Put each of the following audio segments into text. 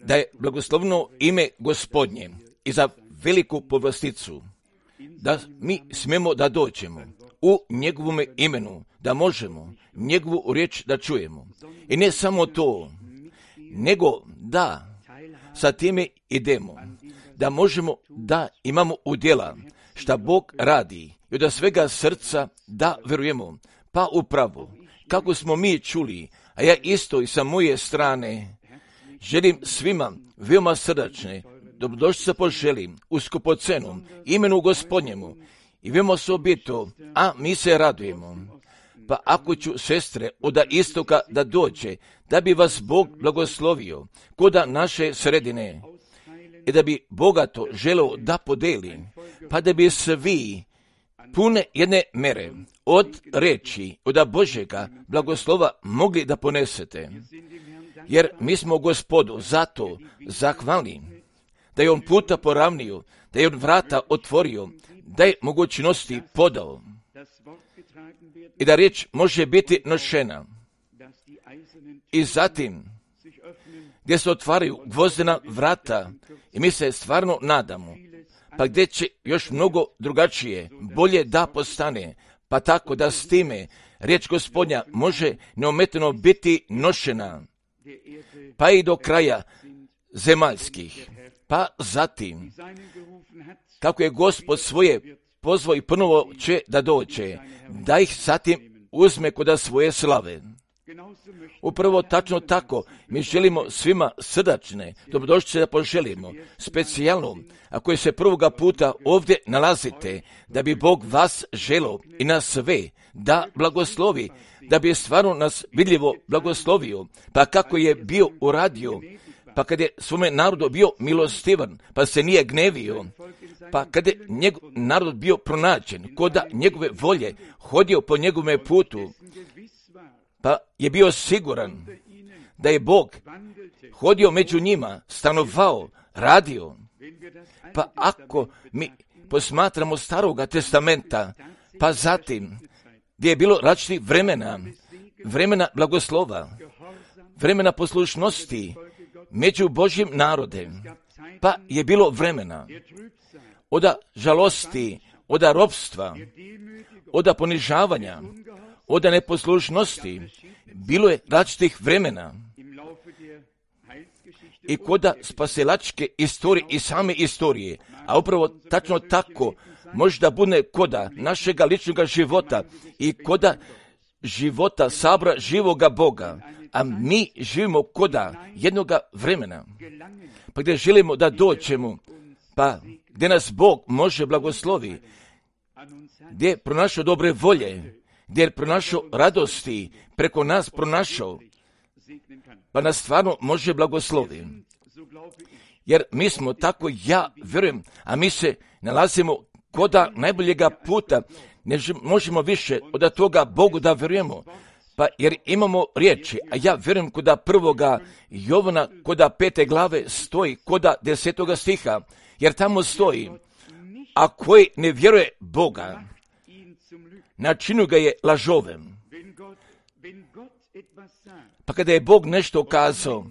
Da je blagoslovno ime Gospodnje i za veliku povlasticu, da mi smemo da dođemo u njegovom imenu, da možemo njegovu riječ da čujemo. I ne samo to, nego da sa time idemo, da možemo da imamo udjela šta Bog radi i od svega srca da verujemo. Pa upravo, kako smo mi čuli, a ja isto i sa moje strane želim svima veoma srdačne dobrodošlice poželim u skupocenom imenu Gospodnjemu i veoma osobito, a mi se radujemo. Pa ako ću, sestre, od istoka da dođe, da bi vas Bog blagoslovio koda naše sredine i da bi bogato želeo da podeli, pa da bi svi pune jedne mere od reči, od Božjega blagoslova mogli da ponesete. Jer mi smo Gospodu zato zahvalni da je on puta poravnio, da je on vrata otvorio, da je mogućnosti podao i da riječ može biti nošena. I zatim, gdje se otvaraju gvozdena vrata i mi se stvarno nadamo, pa gdje će još mnogo drugačije, bolje da postane, pa tako da s time riječ Gospodnja može neometano biti nošena, pa i do kraja zemaljskih. Pa zatim, kako je Gospod svoje pozvao i ponovo će da dođe, da ih zatim uzme kod svoje slave. Upravo tačno tako, mi želimo svima srdačne dobrodošlice da poželimo, specijalno, ako se prvoga puta ovdje nalazite, da bi Bog vas želio i nas sve da blagoslovi, da bi stvarno nas vidljivo blagoslovio, pa kako je bio uradio, pa kad je svome narodu bio milostivan, pa se nije gnevio, pa kad je njegov narod bio pronađen, koda njegove volje, hodio po njegovome putu, pa je bio siguran da je Bog hodio među njima, stanovao, radio. Pa ako mi posmatramo Staroga testamenta, pa zatim gdje je bilo različitih vremena blagoslova, vremena poslušnosti među Božjim narodem, pa je bilo vremena od žalosti, od ropstva, od ponižavanja, od neposlušnosti, bilo je različitih vremena. I koda spasilačke istorije i same istorije, a upravo tačno tako može da bude koda našega ličnog života i koda života sabra živoga Boga, a mi živimo koda jednoga vremena, pa gdje želimo da dođemo, pa gdje nas Bog može blagoslovi, gdje je pronašao dobre volje, gdje je pronašao radosti, preko nas pronašao, pa nas stvarno može blagoslovi. Jer mi smo tako, ja vjerujem, a mi se nalazimo koda najboljega puta, ne možemo više od toga Bogu da vjerujemo, pa jer imamo riječi, a ja vjerujem koda 1. Jovana, koda 5. glave stoji, koda 10. stiha, jer tamo stoji, a koji ne vjeruje Boga, načinu ga je lažovem. Pa kada je Bog nešto kazao,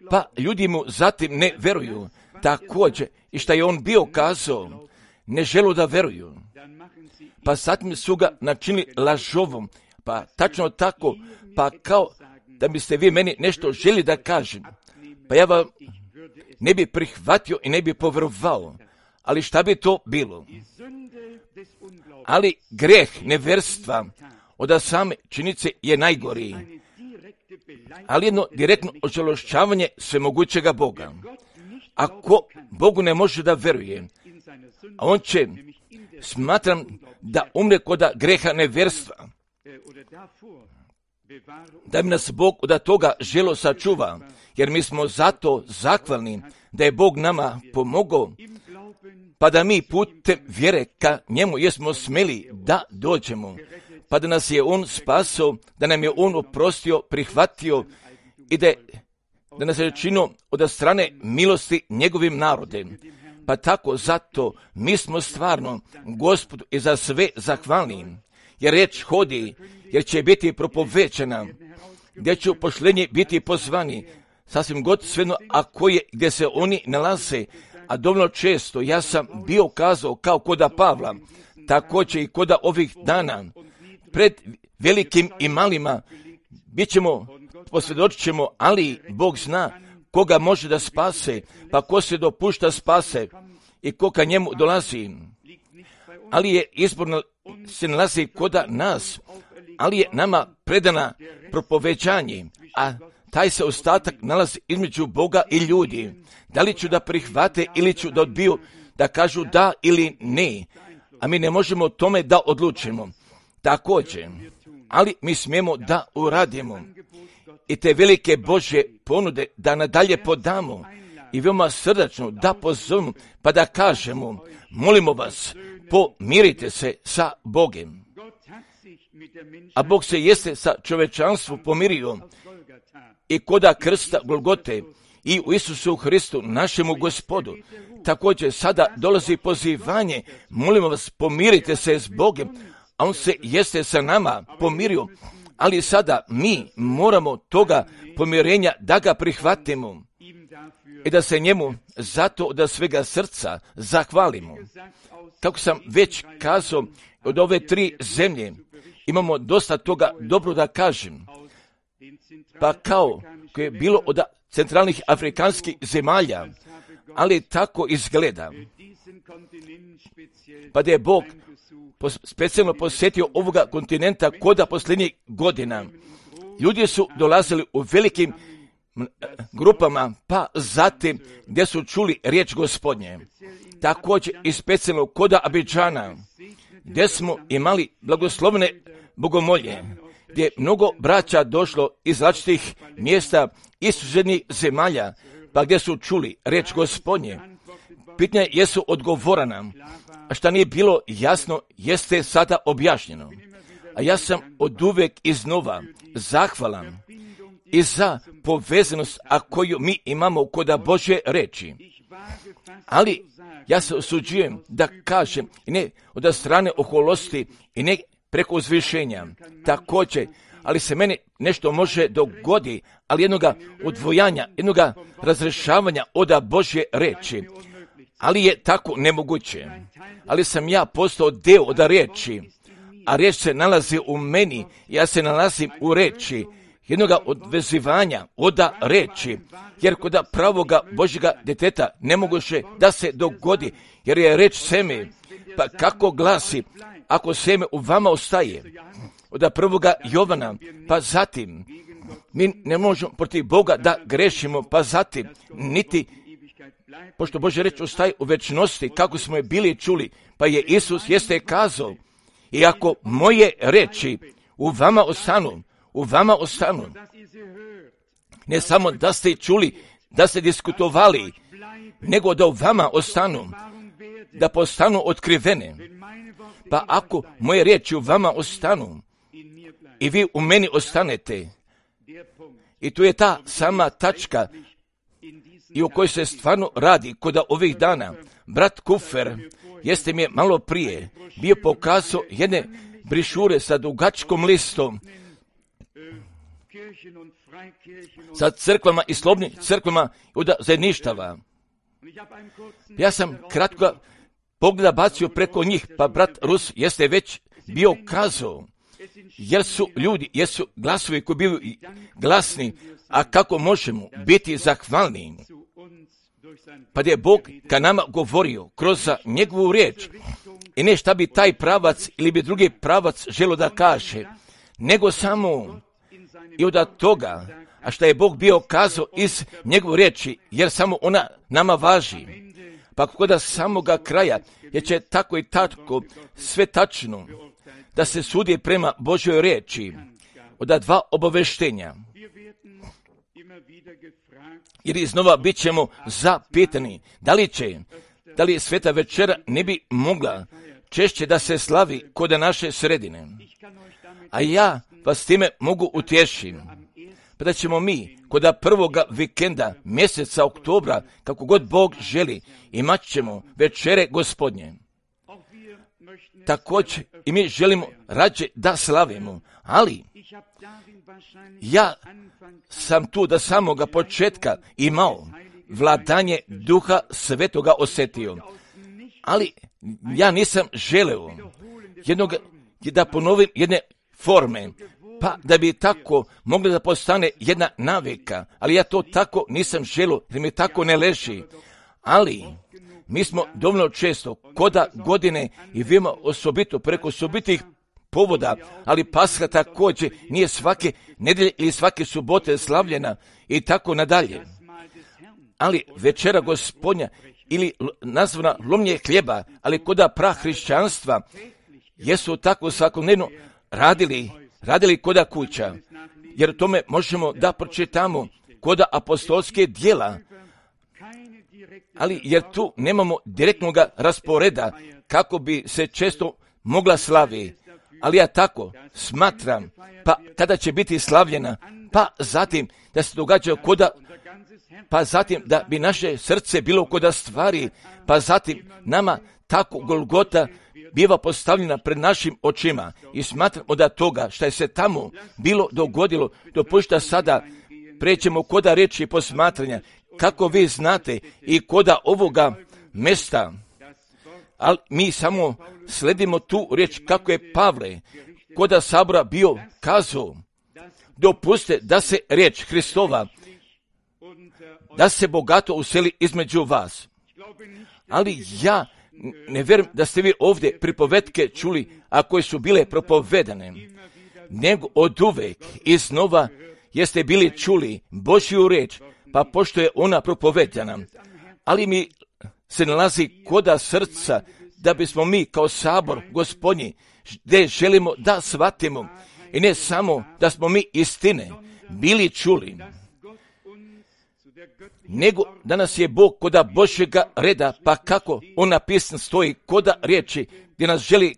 pa ljudi mu zatim ne vjeruju, također i šta je on bio kazao, ne želu da vjeruju. Pa zatim su ga načinili lažovom, pa tačno tako, pa kao da biste vi meni nešto želi da kažem, pa ja vam ne bi prihvatio i ne bi povjerovao, ali šta bi to bilo? Ali greh nevjerstva od same činjenice je najgoriji, ali jedno direktno ožalošćavanje svemogućega Boga. Ako Bogu ne može da vjeruje, a on će, smatram, da umre kod greha nevjerstva, da bi nas Bog od toga želo sačuva, jer mi smo zato zahvalni da je Bog nama pomogao, pa da mi putem vjere ka njemu jesmo smeli da dođemo, pa da nas je on spasao, da nam je on oprostio, prihvatio i da nas je činio od strane milosti njegovim narodem. Pa tako zato mi smo stvarno Gospodu i za sve zahvalni, jer riječ hodi, jer će biti propovećena, gdje ću pošlenje biti pozvani, sasvim god svejedno, ako je gdje se oni nalaze, a dovoljno često ja sam bio kazao kao koda Pavla, također i koda ovih dana, pred velikim i malima, bit ćemo, posvjedočit ćemo, ali Bog zna koga može da spase, pa ko se dopušta spase i ko ka njemu dolazi. Ali je izborno se nalazi koda nas, ali je nama predana propoveđanje, a taj se ostatak nalazi između Boga i ljudi. Da li ću da prihvate ili ću da odbiju, da kažu da ili ne, a mi ne možemo tome da odlučimo. Također, ali mi smijemo da uradimo i te velike Božje ponude da nadalje podamo i veoma srdačno da pozovemo pa da kažemo, molimo vas, pomirite se sa Bogem. A Bog se jeste sa čovečanstvom pomirio i koda krsta Golgote i u Isusu Hristu, našemu Gospodu. Također sada dolazi pozivanje, molimo vas, pomirite se s Bogem, a on se jeste sa nama pomirio, ali sada mi moramo toga pomirenja da ga prihvatimo i da se njemu zato od svega srca zahvalimo. Kako sam već kazao, od ove 3 zemlje imamo dosta toga dobro da kažem. Pa kao koje je bilo od centralnih afrikanskih zemalja, ali tako izgleda. Pa da je Bog specijalno posjetio ovoga kontinenta koda posljednjih godina. Ljudi su dolazili u velikim grupama, pa zatim gdje su čuli riječ Gospodnje. Također i specijalno koda Abidžana, gdje smo imali blagoslovne bogomolje, gdje je mnogo braća došlo iz različitih mjesta i susjednih zemalja, pa gdje su čuli riječ Gospodnje. Pitanje jesu odgovorana, a šta nije bilo jasno jeste sada objašnjeno. A ja sam oduvijek iznova zahvalan i za povezanost a koju mi imamo koda Božje reči. Ali ja se osuđujem da kažem i ne od strane oholosti i ne preko uzvišenja. Također, ali se meni nešto može dogodi, ali jednoga odvojanja, jednoga razrešavanja od Božje reči. Ali je tako nemoguće. Ali sam ja postao deo od riječi, a riječ se nalazi u meni, ja se nalazim u riječi, jednoga odvezivanja od riječi, jer kod pravoga Božjega djeteta nemoguće da se dogodi, jer je riječ seme, pa kako glasi, ako seme u vama ostaje, od prvoga Jovana, pa zatim, mi ne možemo protiv Boga da grešimo, pa zatim, niti pošto Božja reč ostaje u večnosti, kako smo je bili čuli, pa je Isus jeste kazao, i ako moje reči u vama ostanu, ne samo da ste čuli, da ste diskutovali, nego da u vama ostanu, da postanu otkrivene. Pa ako moje riječi u vama ostanu i vi u meni ostanete, i tu je ta sama tačka i o kojoj se stvarno radi kod ovih dana. Brat Kufer jeste mi je malo prije bio pokazao jedne brišure sa dugačkom listom sa crkvama i slobodnim crkvama od zajedništava. Ja sam kratko pogleda bacio preko njih, pa brat Rus jeste već bio kazao, jer su ljudi, jesu glasovi koji bili glasni, a kako možemo biti zahvalni? Pa da je Bog ka nama govorio kroz njegovu riječ i ne šta bi taj pravac ili bi drugi pravac želo da kaže, nego samo i od toga, a šta je Bog bio kazao iz njegove riječi, jer samo ona nama važi. Pa kod samoga kraja, jer će tako i tako sve tačno da se sudi prema Božjoj riječi od 2 obaveštenja. Jer iznova bit ćemo zapitani, da li sveta večera ne bi mogla češće da se slavi kod naše sredine. A ja vas time mogu utješiti, pa da ćemo mi kod prvoga vikenda mjeseca oktobra, kako god Bog želi, imat ćemo večere Gospodnje. također i mi želimo rađe da slavimo, ali ja sam tu da samoga početka imao vladanje Duha Svetoga osjetio, ali ja nisam želeo da ponovim jedne forme, pa da bi tako mogla da postane jedna navika, ali ja to tako nisam želio, jer mi tako ne leži. Ali mi smo dovoljno često koda godine i vima osobito preko osobitih povoda, ali Pasha također nije svake nedelje ili svake subote slavljena i tako nadalje. Ali večera Gospodnja ili nazvana lomljenje hljeba, ali koda prahrišćanstva jesu tako svakodnevno radili koda kuća, jer tome možemo da pročitamo koda apostolske djela, ali jer tu nemamo direktnog rasporeda kako bi se često mogla slavi. Ali ja tako smatram, pa kada će biti slavljena, pa zatim da se događa koda, pa zatim da bi naše srce bilo koda stvari, pa zatim nama tako Golgota biva postavljena pred našim očima i smatramo da toga što je se tamo bilo dogodilo, dopušta sada prećemo koda riječi posmatranja, kako vi znate i koda ovoga mesta, ali mi samo sledimo tu riječ kako je Pavle koda sabora bio kazao, dopuste da se riječ Hristova, da se bogato useli između vas. Ali ja ne vjerujem da ste vi ovdje pripovetke čuli, a koje su bile propovedane, nego od uvek i znova jeste bili čuli Božju riječ, pa pošto je ona propovedana, ali mi se nalazi koda srca da bismo mi kao sabor Gospodnji, gdje želimo da shvatimo i ne samo da smo mi istine bili čuli, nego da nas je Bog koda Božjega reda, pa kako on napisan stoji koda riječi, gdje nas želi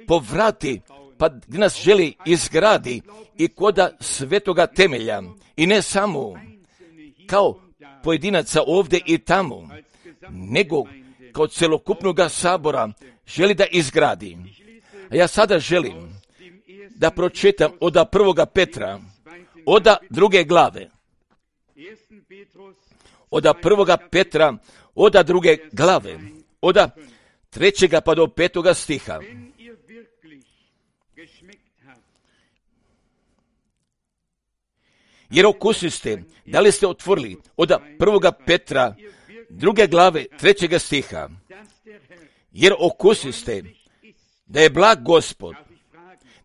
povrati, pa gdje nas želi izgradi i koda svetoga temelja, i ne samo kao pojedinaca ovdje i tamo, nego kao celokupnog sabora želi da izgradi. A ja sada želim da pročitam od 1. Petra, od 2. glave. Od 1. Petra, od 2. glave, od 3. pa do 5. stiha. Jer okusiste, da li ste otvorili od 1. Petra, 2. glave, 3. stiha. Jer okusiste da je blag Gospod.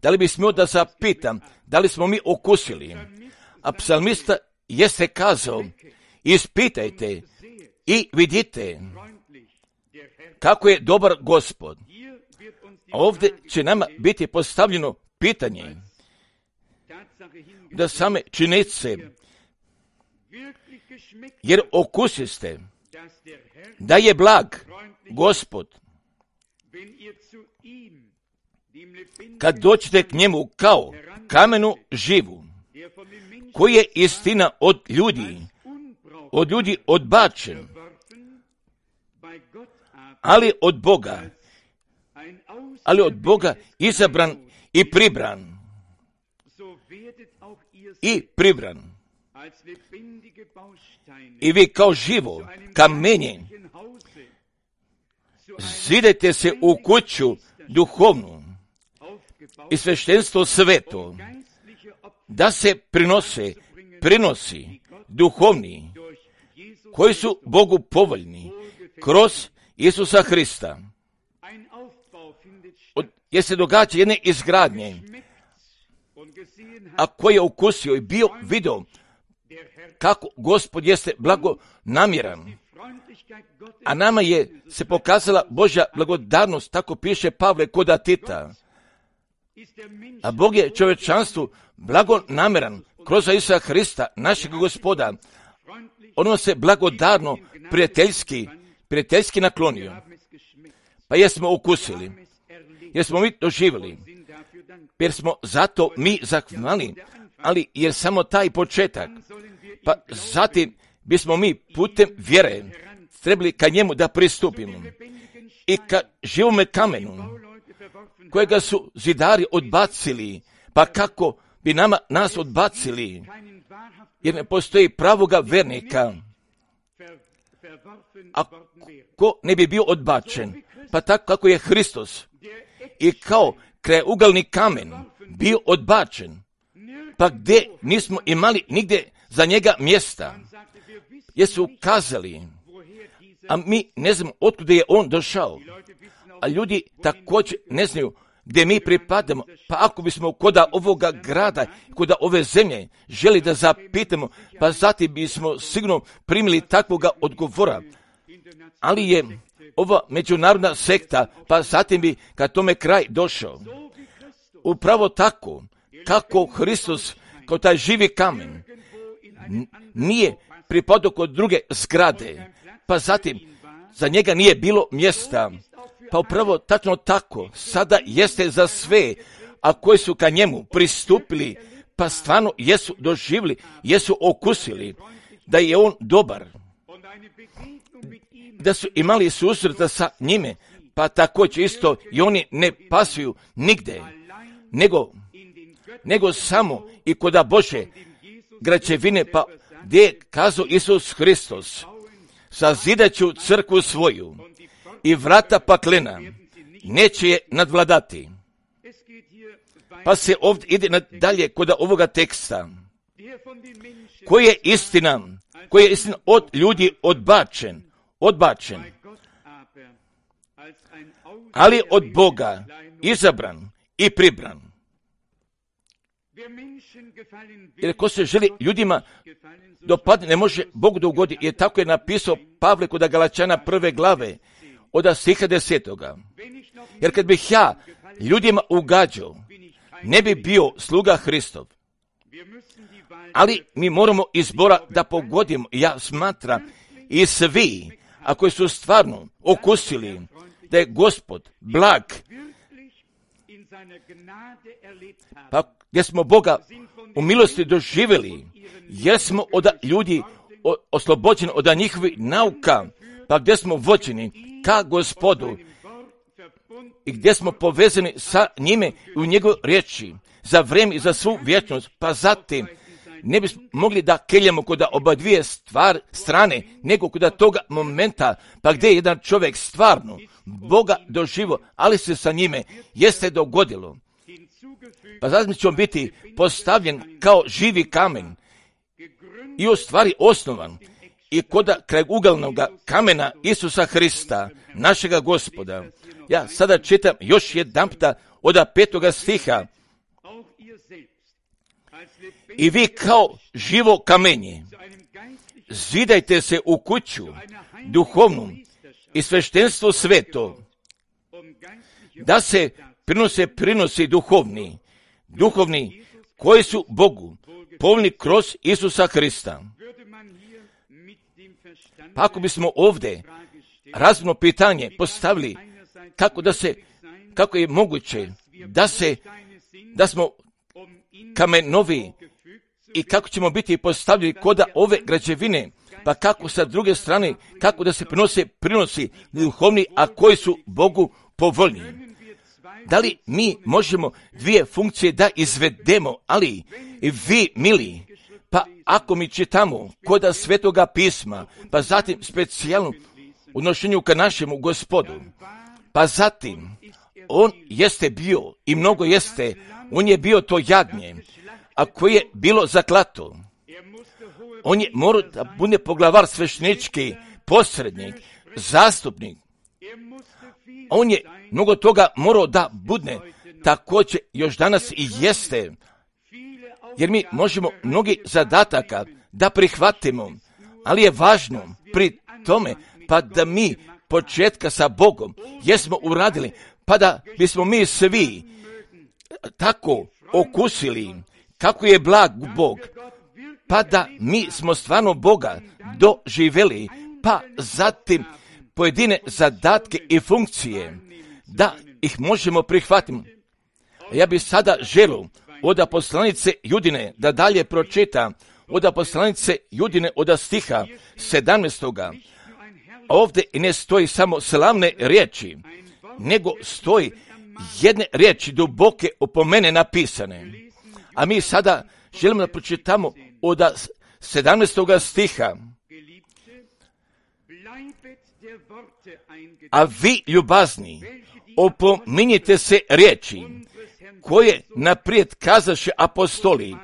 Da li bi smio da zapitam, da li smo mi okusili? A psalmista jeste kazao, ispitajte i vidite kako je dobar Gospod. A ovdje će nama biti postavljeno pitanje da same činjenice, jer okusiste da je blag Gospod, kad dođete k njemu kao kamenu živu, koji je istina od ljudi odbačen, ali od Boga izabran i pribran. I vi kao živo kamenje zidajte se u kuću duhovnu i sveštenstvo sveto, da se prinosi duhovni, koji su Bogu povoljni kroz Isusa Hrista. Jer se događa jedne izgradnje, a koji je ukusio i bio video kako Gospod jeste blagonamjeran, a nama je se pokazala Božja blagodarnost, tako piše Pavle koda Tita. A Bog je čovječanstvu blagonamjeran kroz Isusa Hrista, našeg Gospoda. On se blagodarno, prijateljski naklonio. Pa jesmo ukusili, jer smo mi doživjeli, jer smo zato mi zahvalni, ali jer samo taj početak, pa zatim bismo mi putem vjere trebali ka njemu da pristupimo. i ka živome kamenu, kojega su zidari odbacili, pa kako bi nas odbacili, jer ne postoji pravoga vernika, ako ne bi bio odbačen, pa tako kako je Hristos i kao krajugalni kamen bio odbačen, pa gdje nismo imali nigdje za njega mjesta, jesu kazali, a mi ne znamo otkuda je on došao, a ljudi također ne znaju gdje mi pripadamo, pa ako bismo koda ovoga grada, koda ove zemlje želi da zapitamo, pa zatim bismo sigurno primili takvoga odgovora, ali je ova međunarodna sekta, pa zatim bi kad tome kraj došao. Upravo tako, kako Hristos kao taj živi kamen nije pripadao kod druge zgrade, pa zatim za njega nije bilo mjesta, pa upravo tačno tako sada jeste za sve, a koji su ka njemu pristupili, pa stvarno jesu doživjeli, jesu okusili da je on dobar, da su imali susreta sa njime, pa također isto i oni ne pasuju nigde, nego samo i koda Bože građevine, pa gdje je kazao Isus Hristos, sazidat ću crkvu svoju i vrata paklena neće je nadvladati. Pa se ovdje ide dalje kod ovoga teksta. Koji je istina od ljudi odbačen, ali od Boga izabran i pribran. Jer ko se želi ljudima dopadne, ne može Bogu da ugodi, jer tako je napisao Pavle kod Galačana 1. glave, od stiha 10. Jer kad bih ja ljudima ugađao, ne bi bio sluga Hristov. Ali mi moramo izbora da pogodimo. Ja smatram i svi, a koji su stvarno okusili da je Gospod blag, pa gdje smo Boga u milosti doživjeli, jer smo od ljudi oslobođeni od njihovih nauka, pa gdje smo vođeni ka Gospodu i gdje smo povezani sa njime u njegove riječi za vrijeme i za svu vječnost, pa zatim ne bismo mogli da keljamo kod oba dvije strane, nego kod toga momenta, pa gdje je jedan čovjek stvarno Boga doživo, ali se sa njime jeste dogodilo. Pa zatim ćemo biti postavljen kao živi kamen i u stvari osnovan i kod krajugalnog kamena Isusa Hrista, našega Gospoda. Ja sada čitam još jedanputa od 5. stiha. I vi kao živo kamenje zidajte se u kuću duhovnu i sveštenstvo sveto, da se prinosi duhovni koji su Bogu povoljni kroz Isusa Hrista. Pa ako bismo ovdje razumno pitanje postavili kako je moguće da smo kamenovi i kako ćemo biti postavljeni kod ove građevine, pa kako sa druge strane, kako da se prinosi duhovni, a koji su Bogu povoljni. Da li mi možemo dvije funkcije da izvedemo, ali vi, mili, pa ako mi čitamo kod Svetoga pisma, pa zatim specijalno odnošenju ka našemu Gospodu, pa zatim on jeste bio i mnogo jeste, on je bio to jagnje, a koje je bilo zaklato. On je morao da bude poglavar, sveštenički, posrednik, zastupnik. On je mnogo toga morao da bude, također još danas i jeste, jer mi možemo mnogi zadataka da prihvatimo, ali je važno pri tome pa da mi početka sa Bogom jesmo uradili, pa da bismo mi svi tako okusili kako je blag Bog, pa da mi smo stvarno Boga doživjeli, pa zatim pojedine zadatke i funkcije da ih možemo prihvatiti. Ja bih sada želio od poslanice Judine da dalje pročitam, od poslanice Judine od stiha 17. ovdje i ne stoji samo slavne riječi, nego stoji jedne riječi duboke opomene napisane. A mi sada želimo da pročitamo od 17. stiha. A vi, ljubazni, opominjite se riječi koje naprijed kazaše apostoli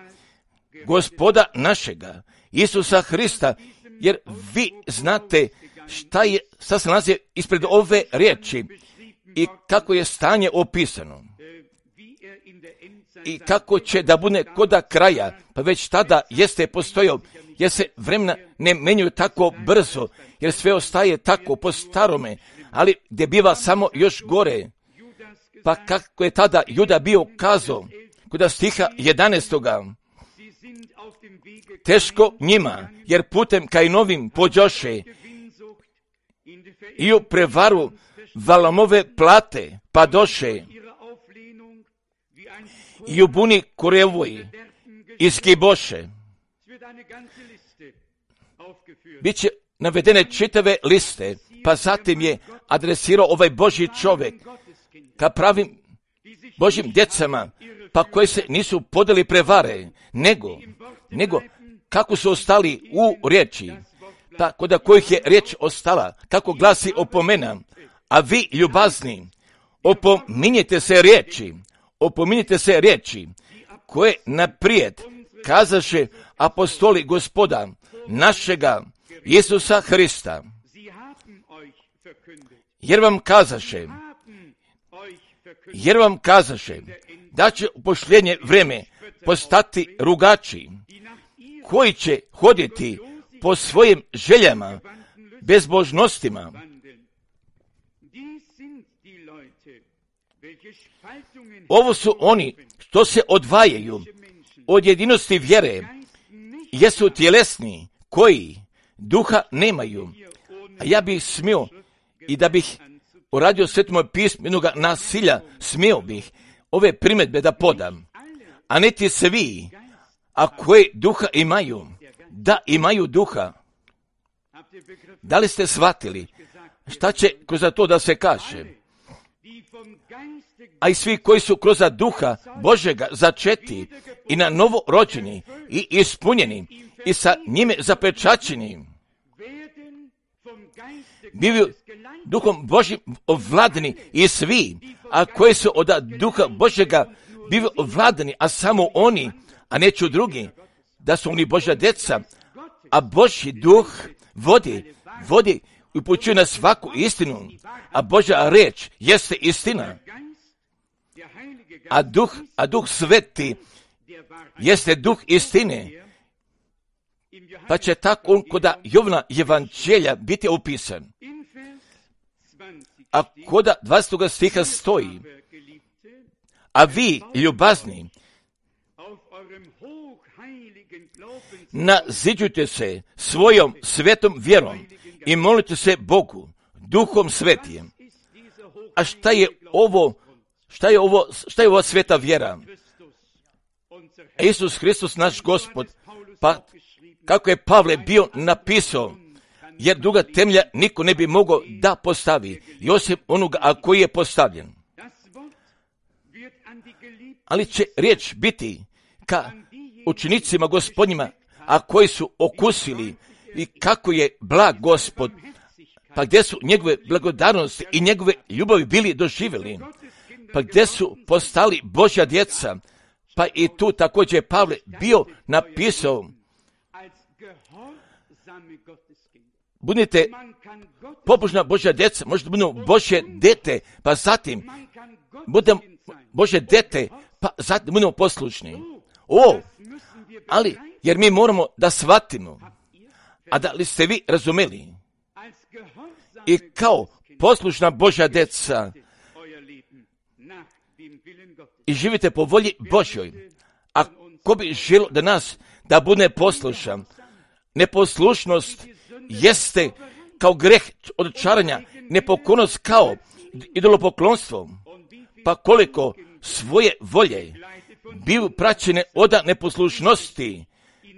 Gospoda našega Isusa Hrista, jer vi znate šta se nalazi ispred ove riječi i kako je stanje opisano i kako će da bude koda kraja, pa već tada jeste postojao, jer se vremena ne menjaju tako brzo, jer sve ostaje tako po starome, ali gdje biva samo još gore. Pa kako je tada Juda bio kazao, kod stiha 11. Teško njima, jer putem Kainovim pođoše i u prevaru Valamove plate padoše i u buni Korevoj izgiboše. Biće navedene čitave liste, pa zatim je adresirao ovaj Božji čovjek ka pravim Božjim djecama, pa koji se nisu podeli prevare, nego kako su ostali u riječi, pa kod kojih je riječ ostala, kako glasi opomena, a vi, ljubazni, opominjete se riječi, koje naprijed kazaše apostoli Gospoda našega Isusa Hrista, jer vam kazaše da će u posljednje vrijeme postati rugači, koji će hoditi po svojim željama, bezbožnostima. Ovo su oni što se odvajaju od jedinosti vjere, jesu tjelesni, koji duha nemaju. A ja bih smio i da bih uradio Svetom pismu jednoga nasilja, smio bih ove primjedbe da podam, a niti svi, a koji duha imaju, da imaju duha. Da li ste shvatili šta će kroz to da se kaže? A i svi koji su kroz duha Božega začeti i na novo rođeni i ispunjeni i sa njime zapečaćeni, bivaju duhom Božjim ovladani i svi, a koji su od duha Božjega bivaju ovladani, a samo oni, a neću drugi, da su oni Božja djeca, a Božji duh vodi i upućuje na svaku istinu, a Božja reč jeste istina. A duh sveti jeste duh istine, pa će tako on kod Jovana evanđelja biti opisan. A kod 20. stiha stoji, a vi, ljubazni, naziđujte se svojom svetom vjerom i molite se Bogu, duhom svetijem. A šta je ova sveta vjera? Isus Hristos, naš Gospod, pa kako je Pavle bio napisao, jer druga temelja niko ne bi mogao da postavi, i osim onoga koji je postavljen. Ali će riječ biti ka učenicima Gospodnjima, a koji su okusili i kako je blag Gospod, pa gdje su njegove blagodarnosti i njegove ljubavi bili doživjeli, pa gdje su postali Božja djeca, pa i tu također je Pavle bio napisao, budite pobožna Božja djeca, možete budemo Božje dete, pa zatim budemo Božje dete, pa zatim budemo poslušni. Ali, jer mi moramo da shvatimo, a da li ste vi razumeli, i kao poslušna Božja djeca i živite po volji Božjoj, a ko bi želio da nas da bude poslušan, neposlušnost jeste kao greh od čaranja, nepokornost kao idolopoklonstvo, pa koliko svoje volje biju praćene od neposlušnosti,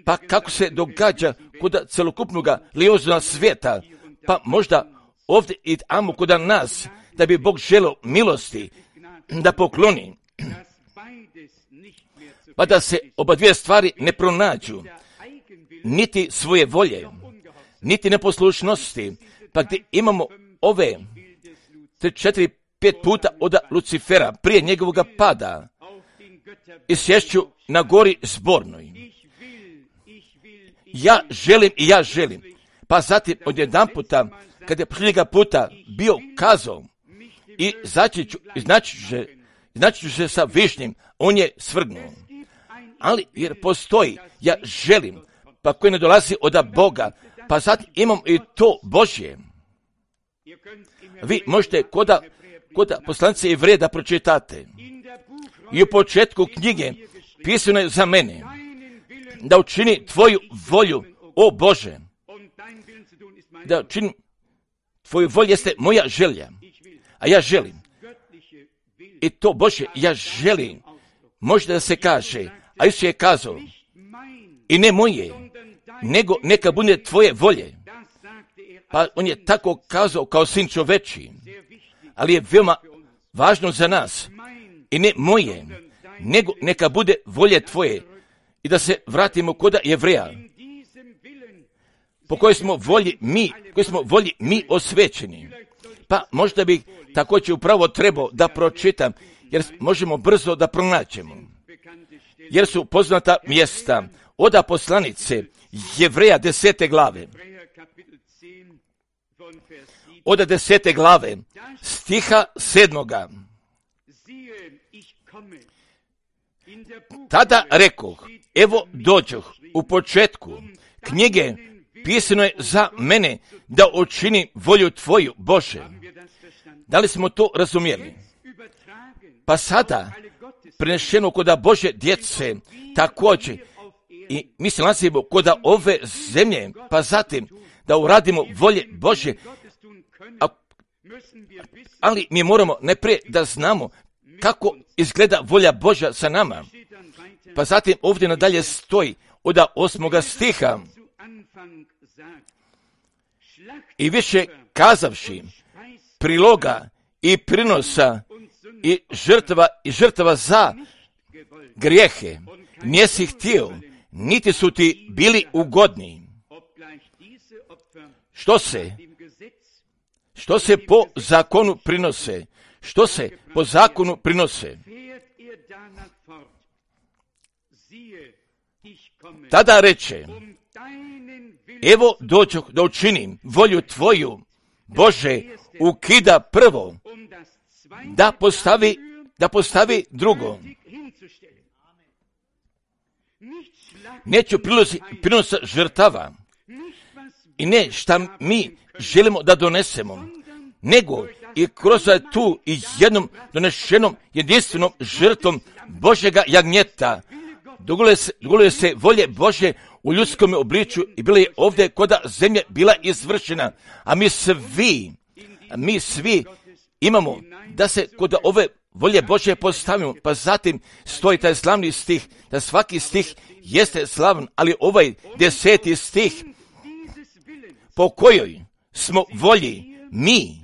pa kako se događa kod celokupnog lioznog svijeta, pa možda ovdje i tamo kod nas, da bi Bog želio milosti da pokloni, pa da se oba dvije stvari ne pronađu, niti svoje volje, niti neposlušnosti, pa gdje imamo ove 3, 4, 5 puta od Lucifera prije njegovog pada i sješću na gori zbornoj. Ja želim, pa zatim odjedan puta, kad je prije puta bio kazao i znači ću se sa višnjim, on je svrgnuo. Ali jer postoji, ja želim, pa koji ne dolazi od Boga, pa zatim imam i to Božje. Vi možete koda poslanice Jevreja da pročitate. I u početku knjige pisano je za mene, da učini tvoju volju, o Bože. Da učinim tvoju volju jeste moja želja, a ja želim. I to Bože, ja želim. Možda da se kaže, a Isus je kazao, i ne moje, nego neka bude tvoje volje. Pa on je tako kazao kao sin čoveči, ali je veoma važno za nas. I ne moje, nego neka bude volje tvoje. I da se vratimo kod Jevreja, po kojoj smo volji mi osvećeni. Pa možda bih također upravo trebao da pročitam, jer možemo brzo da pronaćemo. Jer su poznata mjesta od poslanice Jevreja 10. glave. Od 10. glave, stiha 7. Tada rekoh, evo dođoh, u početku knjige pisano je za mene da učinim volju tvoju, Bože. Da li smo to razumjeli? Pa sada, prenešeno kod Bože djece, također, i mi se nalazimo kod ove zemlje, pa zatim da uradimo volje Bože, ali mi moramo najprije da znamo kako izgleda volja Božja sa nama. Pa zatim ovdje nadalje stoji od 8. stiha. I više kazavši priloga i prinosa i žrtava za grijehe nisi htio, niti su ti bili ugodni. Što se po zakonu prinose? Što se po zakonu prinose? Tada reče, evo dođoh da učinim volju tvoju, Bože, ukida prvo, da postavi drugo. Neću prinosa žrtava i ne šta mi želimo da donesemo, nego i kroz tu i jednom donešenom jedinstvenom žrtvom Božjega jagnjeta dogodile se volje Božje u ljudskom obličju i bila je ovdje kod zemlje bila izvršena, a mi svi imamo da se kod ove volje Božje postavimo, pa zatim stoji taj slavni stih, da svaki stih jeste slavan, ali ovaj 10. stih, po kojoj smo volji mi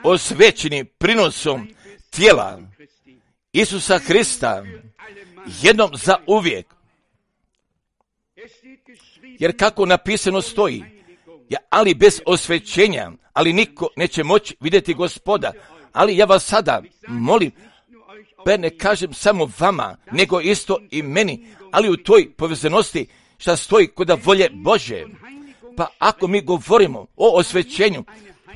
osvećeni prinosom tijela Isusa Hrista jednom za uvijek. Jer kako napisano stoji, ali bez osvećenja, ali niko neće moći vidjeti Gospoda. Ali ja vas sada molim, pa ne kažem samo vama, nego isto i meni, ali u toj povezanosti šta stoji kod volje Bože. Pa ako mi govorimo o osvećenju,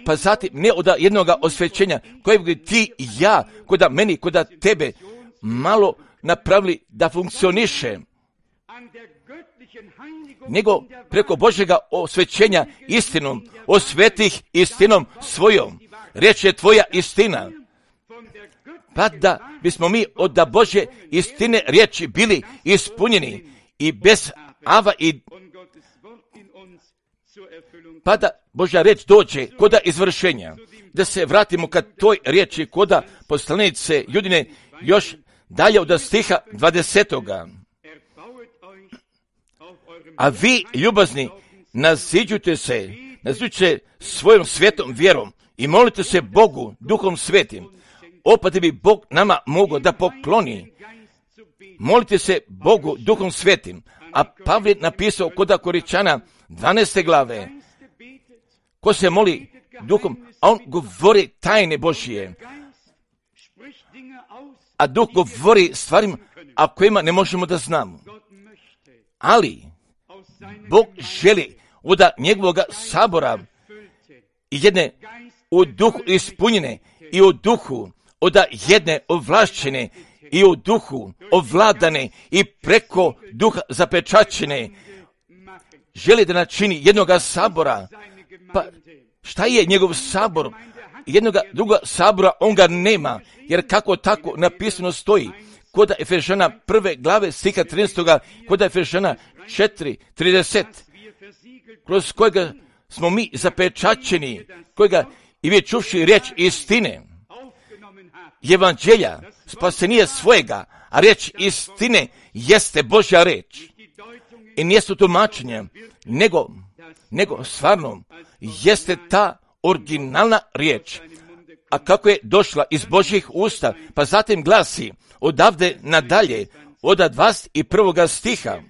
pa zatim ne od jednog osvećenja kojeg ti i ja, kod meni, kod tebe, malo napravili da funkcioniše, nego preko Božjega osvećenja istinom, osvetih istinom svojom. Riječ je tvoja istina. Pa da bismo mi od Božje istine riječi bili ispunjeni i bez ava i pa da Božja riječ dođe kod izvršenja. Da se vratimo kad toj riječi kod poslanice Judine još dalje od stiha 20. A vi, ljubazni, naziđujte se nazvuče svojom svetom vjerom i molite se Bogu Duhom Svetim, opet bi Bog nama mogao da pokloni. Molite se Bogu Duhom Svetim, a Pavle napisao kod Korinčana 12. glave, ko se moli Duhom, a on govori tajne Božije, a Duh govori stvarima a kojima ne možemo da znamo. Ali Bog želi od njegovog sabora jedne u duhu ispunjene i u duhu od jedne ovlašćene i u duhu ovladane i preko duha zapečaćene. Želi da načini jednog sabora. Pa šta je njegov sabor? Jednog drugog sabora on ga nema, jer kako tako napisano stoji kod Efežana 1. glave stiha 13. kod Efežana 4:30, kroz kojega smo mi zapečaćeni, kojega i vi čuvši riječ istine, evanđelja, spasenije svojega, a riječ istine jeste Božja riječ. I nije su tumačenje, nego stvarno jeste ta originalna riječ. A kako je došla iz Božjih usta, pa zatim glasi odavde nadalje, od 21. stiha.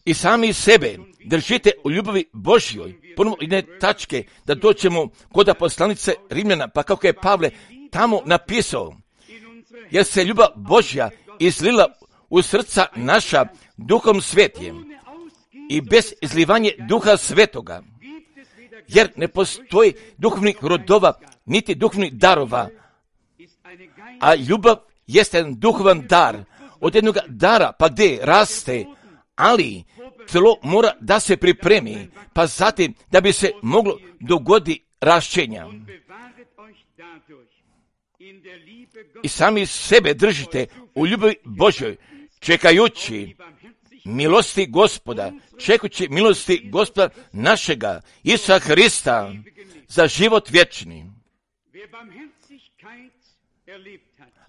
I sami sebe držite u ljubavi Božjoj. Ponovno jedne tačke da doćemo kod poslanice Rimljana, pa kako je Pavle tamo napisao, jer se ljubav Božja izlila u srca naša Duhom Svetim i bez izlivanja Duha Svetoga, jer ne postoji duhovnih rodova, niti duhovnih darova, a ljubav jeste jedan duhovan dar, od jednog dara pa gdje raste, ali telo mora da se pripremi, pa zatim da bi se moglo dogoditi rašćenja. I sami sebe držite u ljubavi Božjoj, čekajući milosti Gospoda, čekujući milosti Gospoda našega, Isusa Hrista, za život vječni.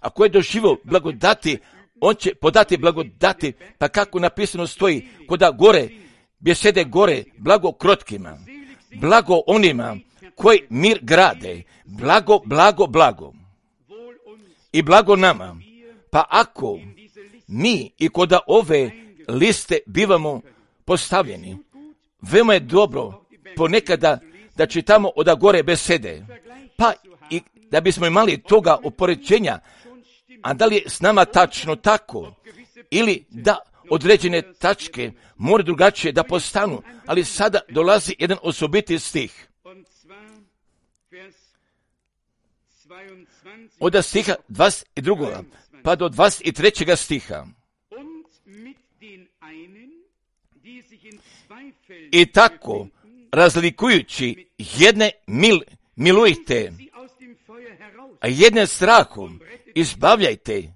Ako je doživio blagodati, on će podati blagodati, pa kako napisano stoji, koda gore, bjesede gore, blago krotkima, blago onima koji mir grade, blago, blago, blago. I blago nama, pa ako mi i koda ove liste bivamo postavljeni, veoma je dobro ponekada da čitamo od gore besede, pa i da bismo imali toga upoređenja, a da li je s nama tačno tako, ili da određene tačke mora drugačije da postanu, ali sada dolazi jedan osobiti stih. Od stiha 22. pa do 23. stiha. I tako, razlikujući jedne milujte, a jedne strahom izbavljajte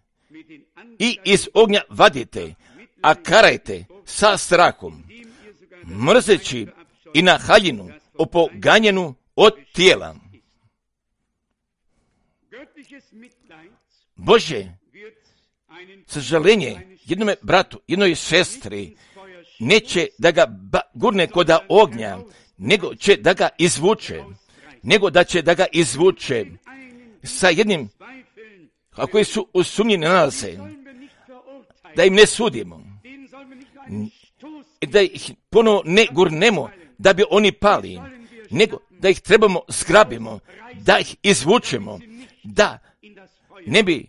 i iz ognja vadite, a karajte sa strahom, mrzeći i na haljinu opoganjenu od tijela. Bože, sažaljenje jednome bratu, jednoj sestri, neće da ga gurne koda ognja, nego će da ga izvuče, sa jednim, a koji su u sumnji nalaze, da im ne sudimo, da ih ponovo ne gurnemo, da bi oni pali, nego da ih trebamo zgrabimo, da ih izvučemo, da ne bi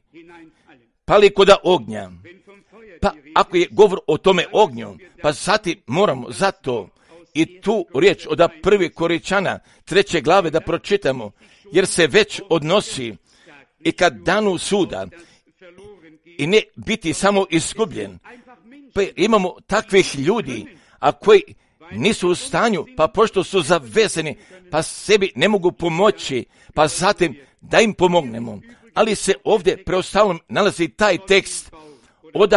pali koda ognja. Pa ako je govor o tome ognju, pa zatim moramo zato i tu riječ od 1. Korinčana 3. glave da pročitamo, jer se već odnosi i kad danu suda i ne biti samo izgubljen. Pa imamo takvih ljudi, a koji nisu u stanju, pa pošto su zavezeni, pa sebi ne mogu pomoći, pa zatim da im pomognemo. Ali se ovdje preostalom nalazi taj tekst od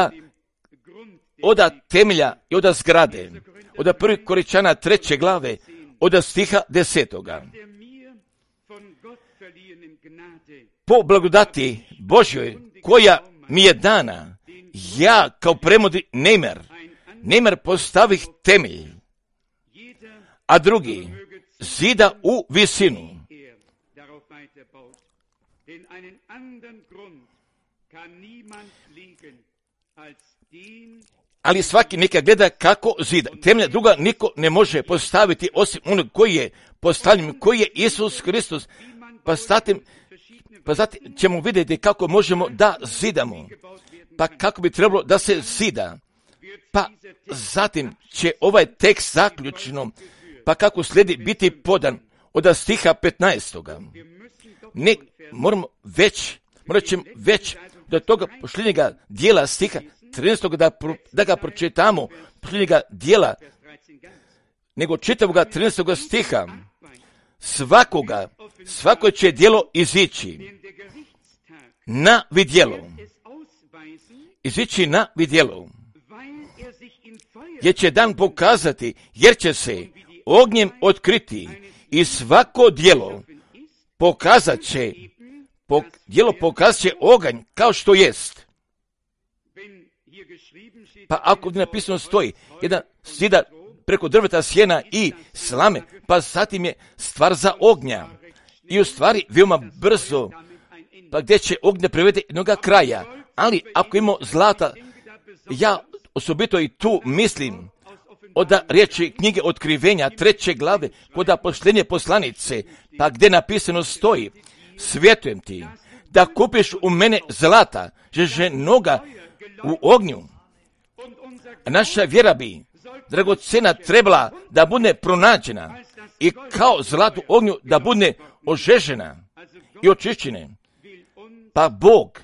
temelja i od zgrade, od 1. Korinčana 3. glave, od stiha 10. Po blagodati Božjoj koja mi je dana, ja kao premudri Nemer Nemer postavih temelj, a drugi zida u visinu. Ali svaki neka gleda kako zida. Temelja druga niko ne može postaviti osim onog koji je postavljen, koji je Isus Hristos. Pa zatim ćemo vidjeti kako možemo da zidamo. Pa kako bi trebalo da se zida. Pa zatim će ovaj tekst zaključno, pa kako slijedi biti podan od stiha 15. Ne, morat ćemo već do toga posljednjega dijela stiha 13. da ga pročitamo, posljednjega dijela, nego čitavoga 13. stiha. Svako će djelo izići na vidjelo. Izići na vidjelo. Jer će dan pokazati, jer će se ognjem otkriti i svako djelo pokazat će oganj kao što jest. Pa ako napisano stoji, jedan zida preko drveta, sjena i slame, pa zatim je stvar za ognja. I u stvari veoma brzo, pa gdje će ognja privede jednoga kraja. Ali ako imamo zlata, ja osobito i tu mislim od riječi knjige Otkrivenja 3. glave, kod posljednje poslanice, pa gdje napisano stoji, svjetujem ti da kupiš u mene zlata, žeženoga u ognju. A naša vjera bi, dragocena, trebala da bude pronađena i kao zlato u ognju da bude ožežena i očišćena. Pa Bog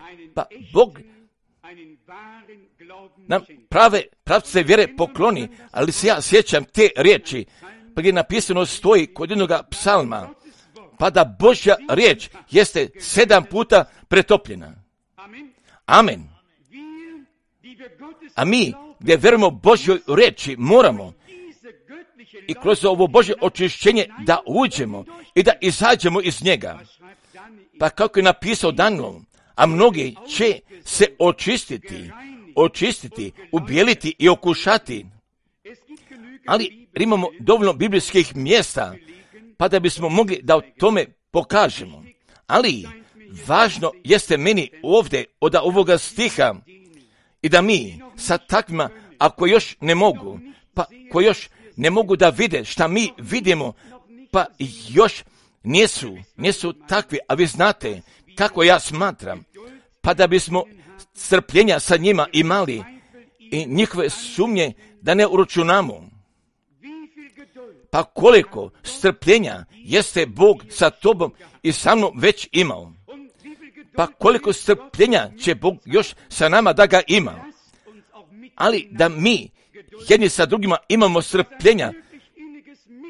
nam pravce vjere pokloni, ali se ja sjećam te riječi, pa gdje napisano stoji kod jednog psalma, pa da Božja riječ jeste 7 puta pretopljena. Amen. A mi, gdje vjerujemo Božjoj riječi, moramo i kroz ovo Božje očišćenje da uđemo i da izađemo iz njega. Pa kako je napisao Danilo, a mnogi će se očistiti, ubijeliti i okušati. Ali imamo dovoljno biblijskih mjesta, pa da bismo mogli da o tome pokažemo. Ali važno jeste meni ovdje od ovoga stiha i da mi sa takvima, ako još ne mogu, pa ko još ne mogu da vide šta mi vidimo, pa još nisu takvi, a vi znate kako ja smatram, pa da bismo strpljenja sa njima imali i njihove sumnje da ne uračunamo. Pa koliko strpljenja jeste Bog sa tobom i sa mnom već imao. Pa koliko strpljenja će Bog još sa nama da ga ima. Ali da mi jedni sa drugima imamo strpljenja,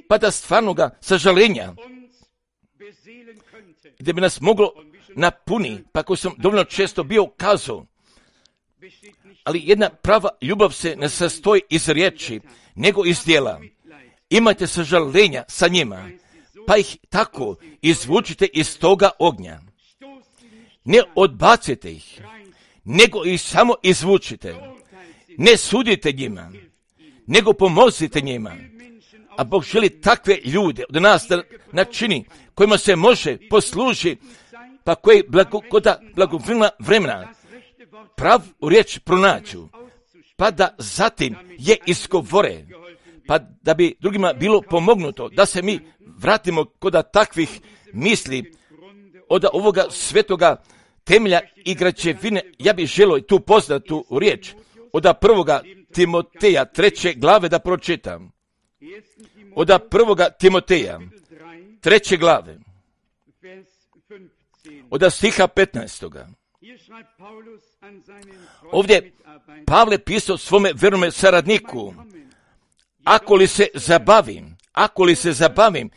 pa da stvarno ga sažalenja, gdje bi nas moglo napuni, pa koji sam dovoljno često bio kazao. Ali jedna prava ljubav se ne sastoji iz riječi, nego iz djela. Imajte sažalenja sa njima, pa ih tako izvučite iz toga ognja. Ne odbacite ih, nego ih samo izvučite. Ne sudite njima, nego pomozite njima. A Bog želi takve ljude od nas da načini, kojima se može poslužiti, pa koji blagovremena vremena pravu riječ pronađu, pa da zatim je izgovore, pa da bi drugima bilo pomognuto, da se mi vratimo kod takvih misli od ovoga svetoga temelja i građevine. Ja bih želio tu poznatu riječ od 1. Timoteja 3. glave da pročitam. Od 1. Timoteja 3. glave od stiha 15. Ovdje Pavle pisao svome vernome saradniku, ako li se zabavim,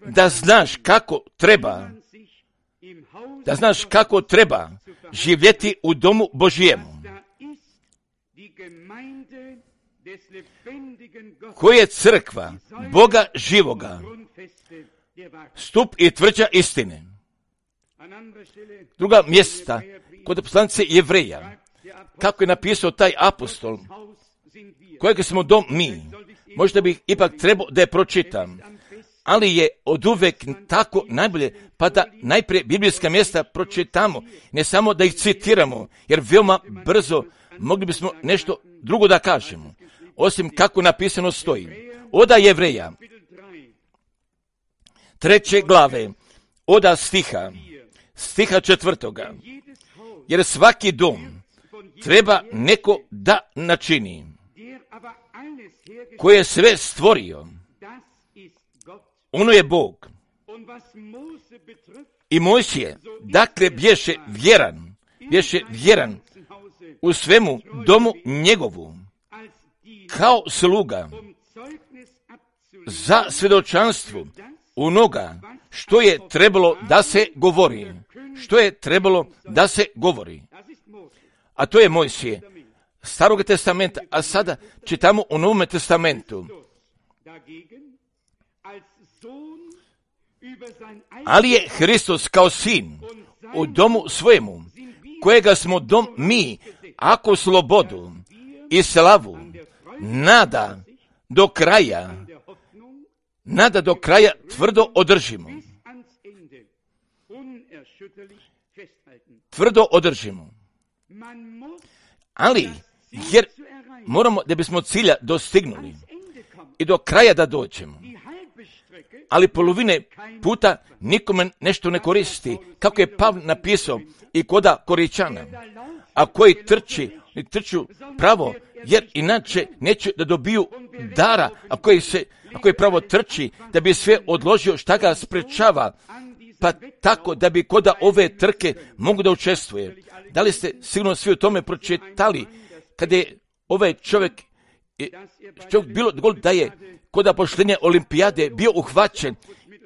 da znaš kako treba živjeti u domu Božijemu, koja je crkva Boga živoga, stup i tvrđa istine. Druga mjesta, kod poslanice Jevreja, kako je napisao taj apostol, kojeg smo dom mi. Možda bih ipak trebao da je pročitam, ali je oduvek tako najbolje, pa da najprije biblijska mjesta pročitamo, ne samo da ih citiramo, jer veoma brzo mogli bismo nešto drugo da kažemo, osim kako napisano stoji. Oda Jevreja, 3. glave, oda stiha 4. Jer svaki dom treba neko da načini, koji je sve stvorio, ono je Bog. I Mojsije, dakle, bješe vjeran u svemu domu njegovu, kao sluga, za svjedočanstvo onoga što je trebalo da se govori. A to je Mojsije, Starog testamenta, a sada čitamo u Novom testamentu. Ali je Hristos kao sin u domu svojemu, kojega smo dom mi, ako slobodu i slavu nada do kraja tvrdo održimo. Ali, jer moramo, da bismo cilja dostignuli i do kraja da dođemo, ali polovine puta nikome nešto ne koristi, kako je Pavle napisao i koda Koričana, a koji trču pravo, jer inače neće da dobiju dara, a koji pravo trči da bi sve odložio šta ga sprečava, pa tako da bi koda ove trke mogu da učestvuje. Da li ste sigurno svi o tome pročitali, kada je ovaj čovjek bilo da je koda poštenja olimpijade bio uhvaćen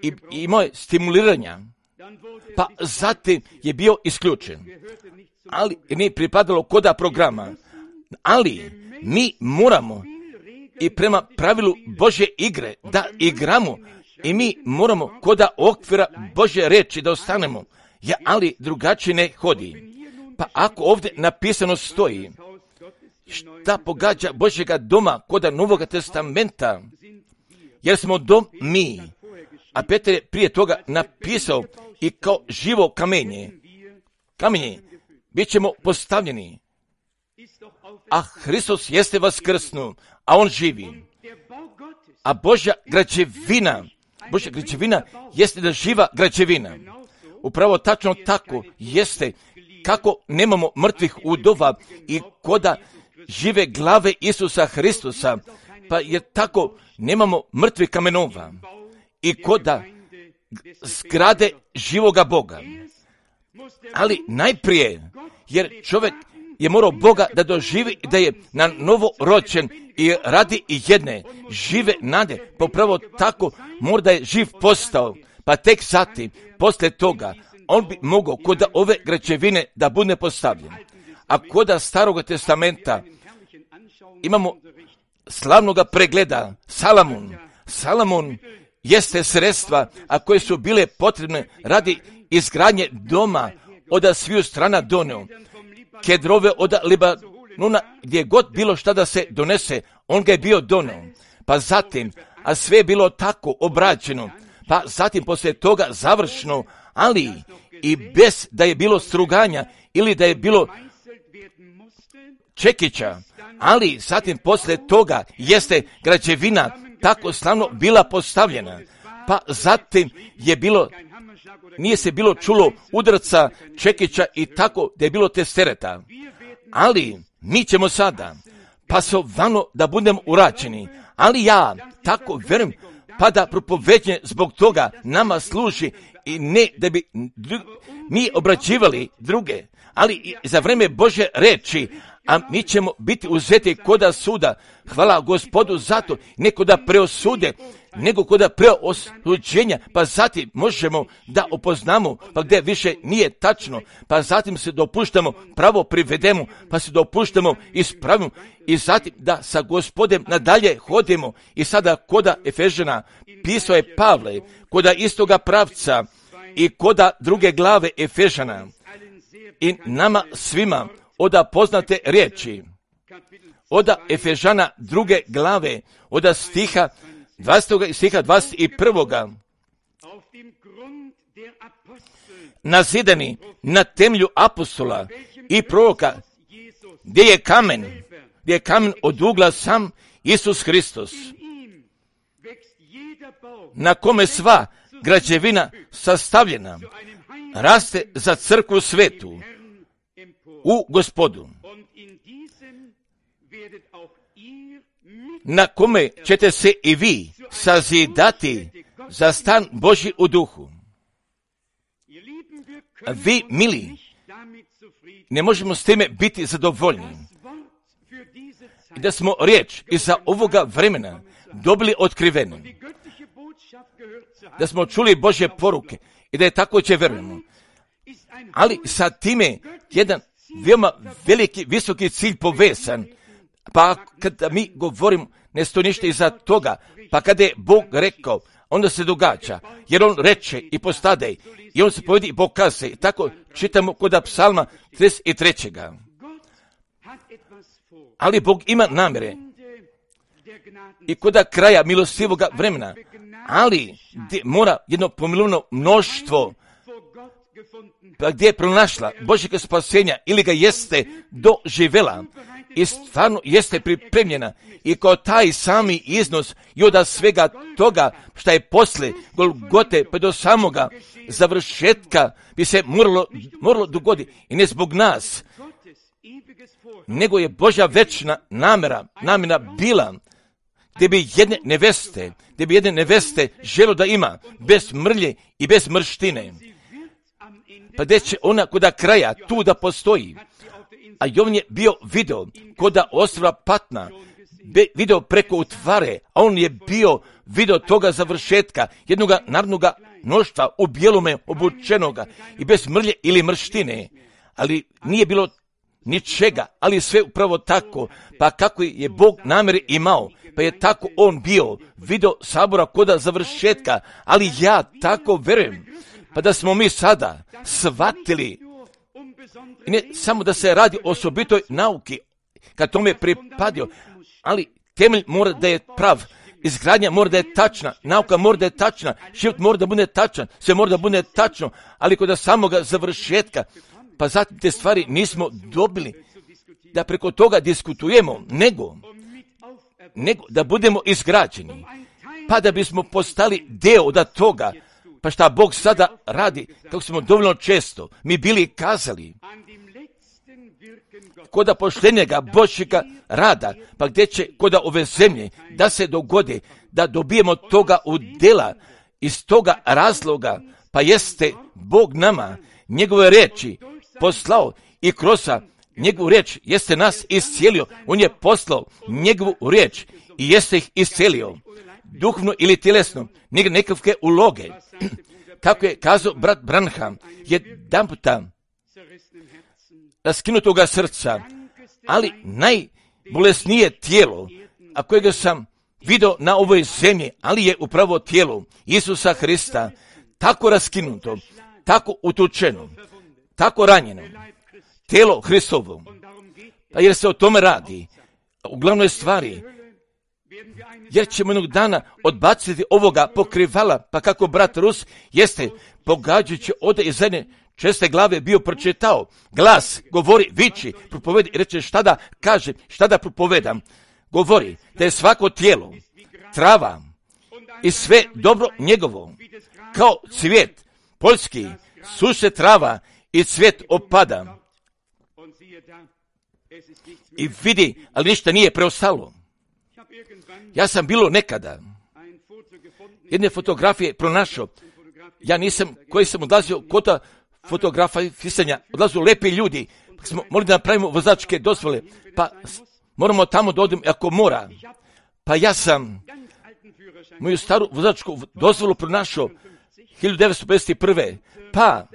i imao je stimuliranja, pa zatim je bio isključen, ali nije pripadalo koda programa, ali mi moramo i prema pravilu Božje igre da igramo i mi moramo koda okvira Božje reči da ostanemo, ali drugačije ne hodi. Pa ako ovdje napisano stoji šta pogađa Božjega doma koda Novog testamenta, jer smo dom mi, a Petar je prije toga napisao i kao živo kamenje bit ćemo postavljeni, a Hristos jeste vaskrsnu, a on živi. A Božja građevina jeste da živa građevina. Upravo tačno tako jeste, kako nemamo mrtvih udova i koda žive glave Isusa Hristusa, pa je tako nemamo mrtvih kamenova i koda zgrade živoga Boga. Ali najprije, jer čovjek je morao Boga da doživi da je na novo rođen i radi i jedne žive nade, pa upravo tako mora da je živ postao, pa tek zatim, poslije toga, on bi mogao kod ove građevine da bude postavljen. A kod Starog testamenta imamo slavnoga pregleda Salamon jeste sredstva, a koje su bile potrebne radi izgradnje doma od sviju strana doneo. Kedrove od Libanona, gdje god bilo šta da se donese, on ga je bio doneo. Pa zatim, a sve je bilo tako obrađeno, pa zatim poslije toga završno, ali i bez da je bilo struganja ili da je bilo čekića, ali zatim poslije toga jeste građevina tako slavno bila postavljena, pa zatim je bilo, nije se bilo čulo udarca, čekića i tako da je bilo testereta, ali mi ćemo sada pasovano da budemo urađeni, ali ja tako vjerujem, pa da propoveđenje zbog toga nama služi i ne da bi mi obrađivali druge, ali i za vreme Božje reči, a mi ćemo biti uzeti koda suda. Hvala Gospodu za to, ne koda preosude, nego koda preosuđenja, pa zatim možemo da opoznamo, pa gdje više nije tačno, pa zatim se dopuštamo, pravo privedemo, pa se dopuštamo, ispravimo i zatim da sa Gospodem nadalje hodimo. I sada koda Efežana pisao je Pavle, koda istoga pravca i koda druge glave Efežana i nama svima od poznate riječi, od Efežana 2. glave, od stiha 20. i stiha 21. Nazidani na temelju apostola i proroka, gdje je kamen od ugla sam Isus Hristos, na kome sva građevina sastavljena raste za crkvu svetu u Gospodu, na kome ćete se i vi sazidati za stan Božji u duhu. Vi, mili, ne možemo s time biti zadovoljni. I da smo riječ iza ovoga vremena dobili otkriveno, da smo čuli Božje poruke i da je tako će vjerujemo. Ali sa time jedan veoma veliki, visoki cilj povezan. Pa kada mi govorimo, ne stoji ništa iza toga, pa kada je Bog rekao, onda se događa, jer on reče i postade, i on se povedi i pokaze. I tako čitamo kod psalma 33. Ali Bog ima namjere i kod kraja milostivoga vremena, ali mora jedno pomilovno mnoštvo, pa gdje je pronašla Božjega spasenja ili ga jeste doživjela i stvarno jeste pripremljena i kao taj sami iznos i od svega toga što je posle Golgote pa do samoga završetka bi se moralo dogoditi i ne zbog nas, nego je Božja večna namjera bila gdje bi jedne neveste želo da ima bez mrlje i bez mrštine. Pa gdje će ona kod kraja tu da postoji. A Jovan je bio video kod ostrva Patna, video preko utvare, a on je bio video toga završetka, jednog narodnoga mnoštva u bijelome obučenoga i bez mrlje ili mrštine. Ali nije bilo ničega, ali sve upravo tako, pa kako je Bog namjere imao, pa je tako on bio video sabora kod završetka, ali ja tako vjerujem, pa da smo mi sada shvatili, i ne samo da se radi o osobitoj nauki, kad tome pripadio, ali temelj mora da je prav, izgradnja mora da je tačna, nauka mora da je tačna, život mora da bude tačan, sve mora da bude tačno, ali kod samoga završetka, pa zatim te stvari nismo dobili da preko toga diskutujemo, nego da budemo izgrađeni, pa da bismo postali deo od toga, pa šta Bog sada radi, kako smo dovoljno često mi bili kazali, kod poštenjega Božjega rada, pa gdje će kod ove zemlje da se dogodi, da dobijemo toga udjela iz toga razloga, pa jeste Bog nama njegove riječi poslao i kroz njegovu riječ jeste nas iscijelio. On je poslao njegovu riječ i jeste ih iscijelio. Duhovno ili tjelesno, nekakve uloge. Kako je kazao brat Branham, jedan puta raskinutoga srca, ali najbolesnije tijelo, a kojega sam vidio na ovoj zemlji, ali je upravo tijelo Isusa Hrista, tako raskinuto, tako utučeno, tako ranjeno, tijelo Hristovo. Pa jer se o tome radi, u glavnoj stvari, jer ćemo jednog dana odbaciti ovoga pokrivala, pa kako brat Rus jeste pogađajući ode iz jedne česte glave bio pročitao, glas govori, viči, propovedi, reče šta da kaže, šta da propovedam, govori da je svako tijelo, trava i sve dobro njegovo, kao cvijet poljski, suše trava i cvijet opada. I vidi, ali ništa nije preostalo. Ja sam bilo nekada jedne fotografije pronašao. Ja nisam, koji sam odlazio kod fotografisanja, odlazio lepi ljudi, pa smo morali da napravimo vozačke dozvole, pa moramo tamo da odem ako mora. Pa ja sam moju staru vozačku dozvolu pronašao 1951. Pa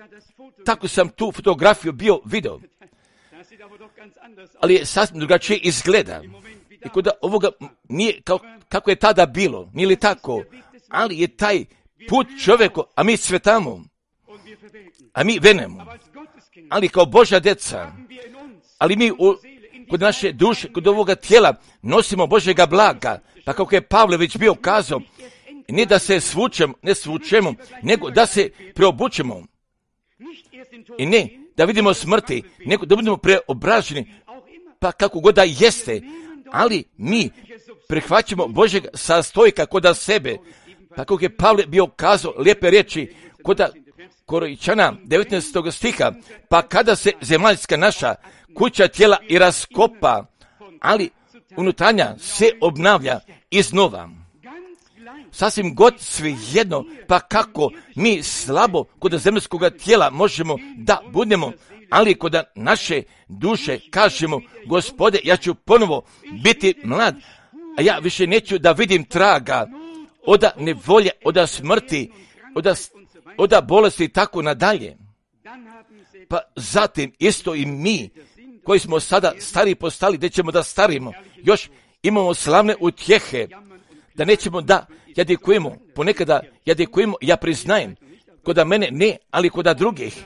tako sam tu fotografiju bio video. Ali je sasvim drugačije izgleda. I kod ovoga nije kako je tada bilo, nije li tako, ali je taj put čovjeku, a mi cvetamo, a mi venemo. Ali kao Božja djeca, ali mi kod naše duše, kod ovoga tijela nosimo Božjega blaga, pa kako je Pavle već bio kazao, ne da se ne svučemo, nego da se preobučemo. I ne da vidimo smrti, nego da budemo preobraženi, pa kako god da jeste, ali mi prihvaćamo Božjeg sastojka kod sebe, pa kako je Pavle bio kazao lijepe riječi kod Korinčana 19. stiha, pa kada se zemaljska naša kuća tijela i raskopa, ali unutarnja se obnavlja iznova. Sasvim god svejedno, pa kako mi slabo kod zemaljskog tijela možemo da budemo, ali kod naše duše kažemo, Gospode, ja ću ponovo biti mlad, a ja više neću da vidim traga od nevolje, od smrti, od bolesti i tako nadalje. Pa zatim isto i mi, koji smo sada stari postali, gdje ćemo da starimo, još imamo slavne utjehe, da nećemo da jadikujemo, ponekada jadikujemo, ja priznajem, kod mene ne, ali kod drugih.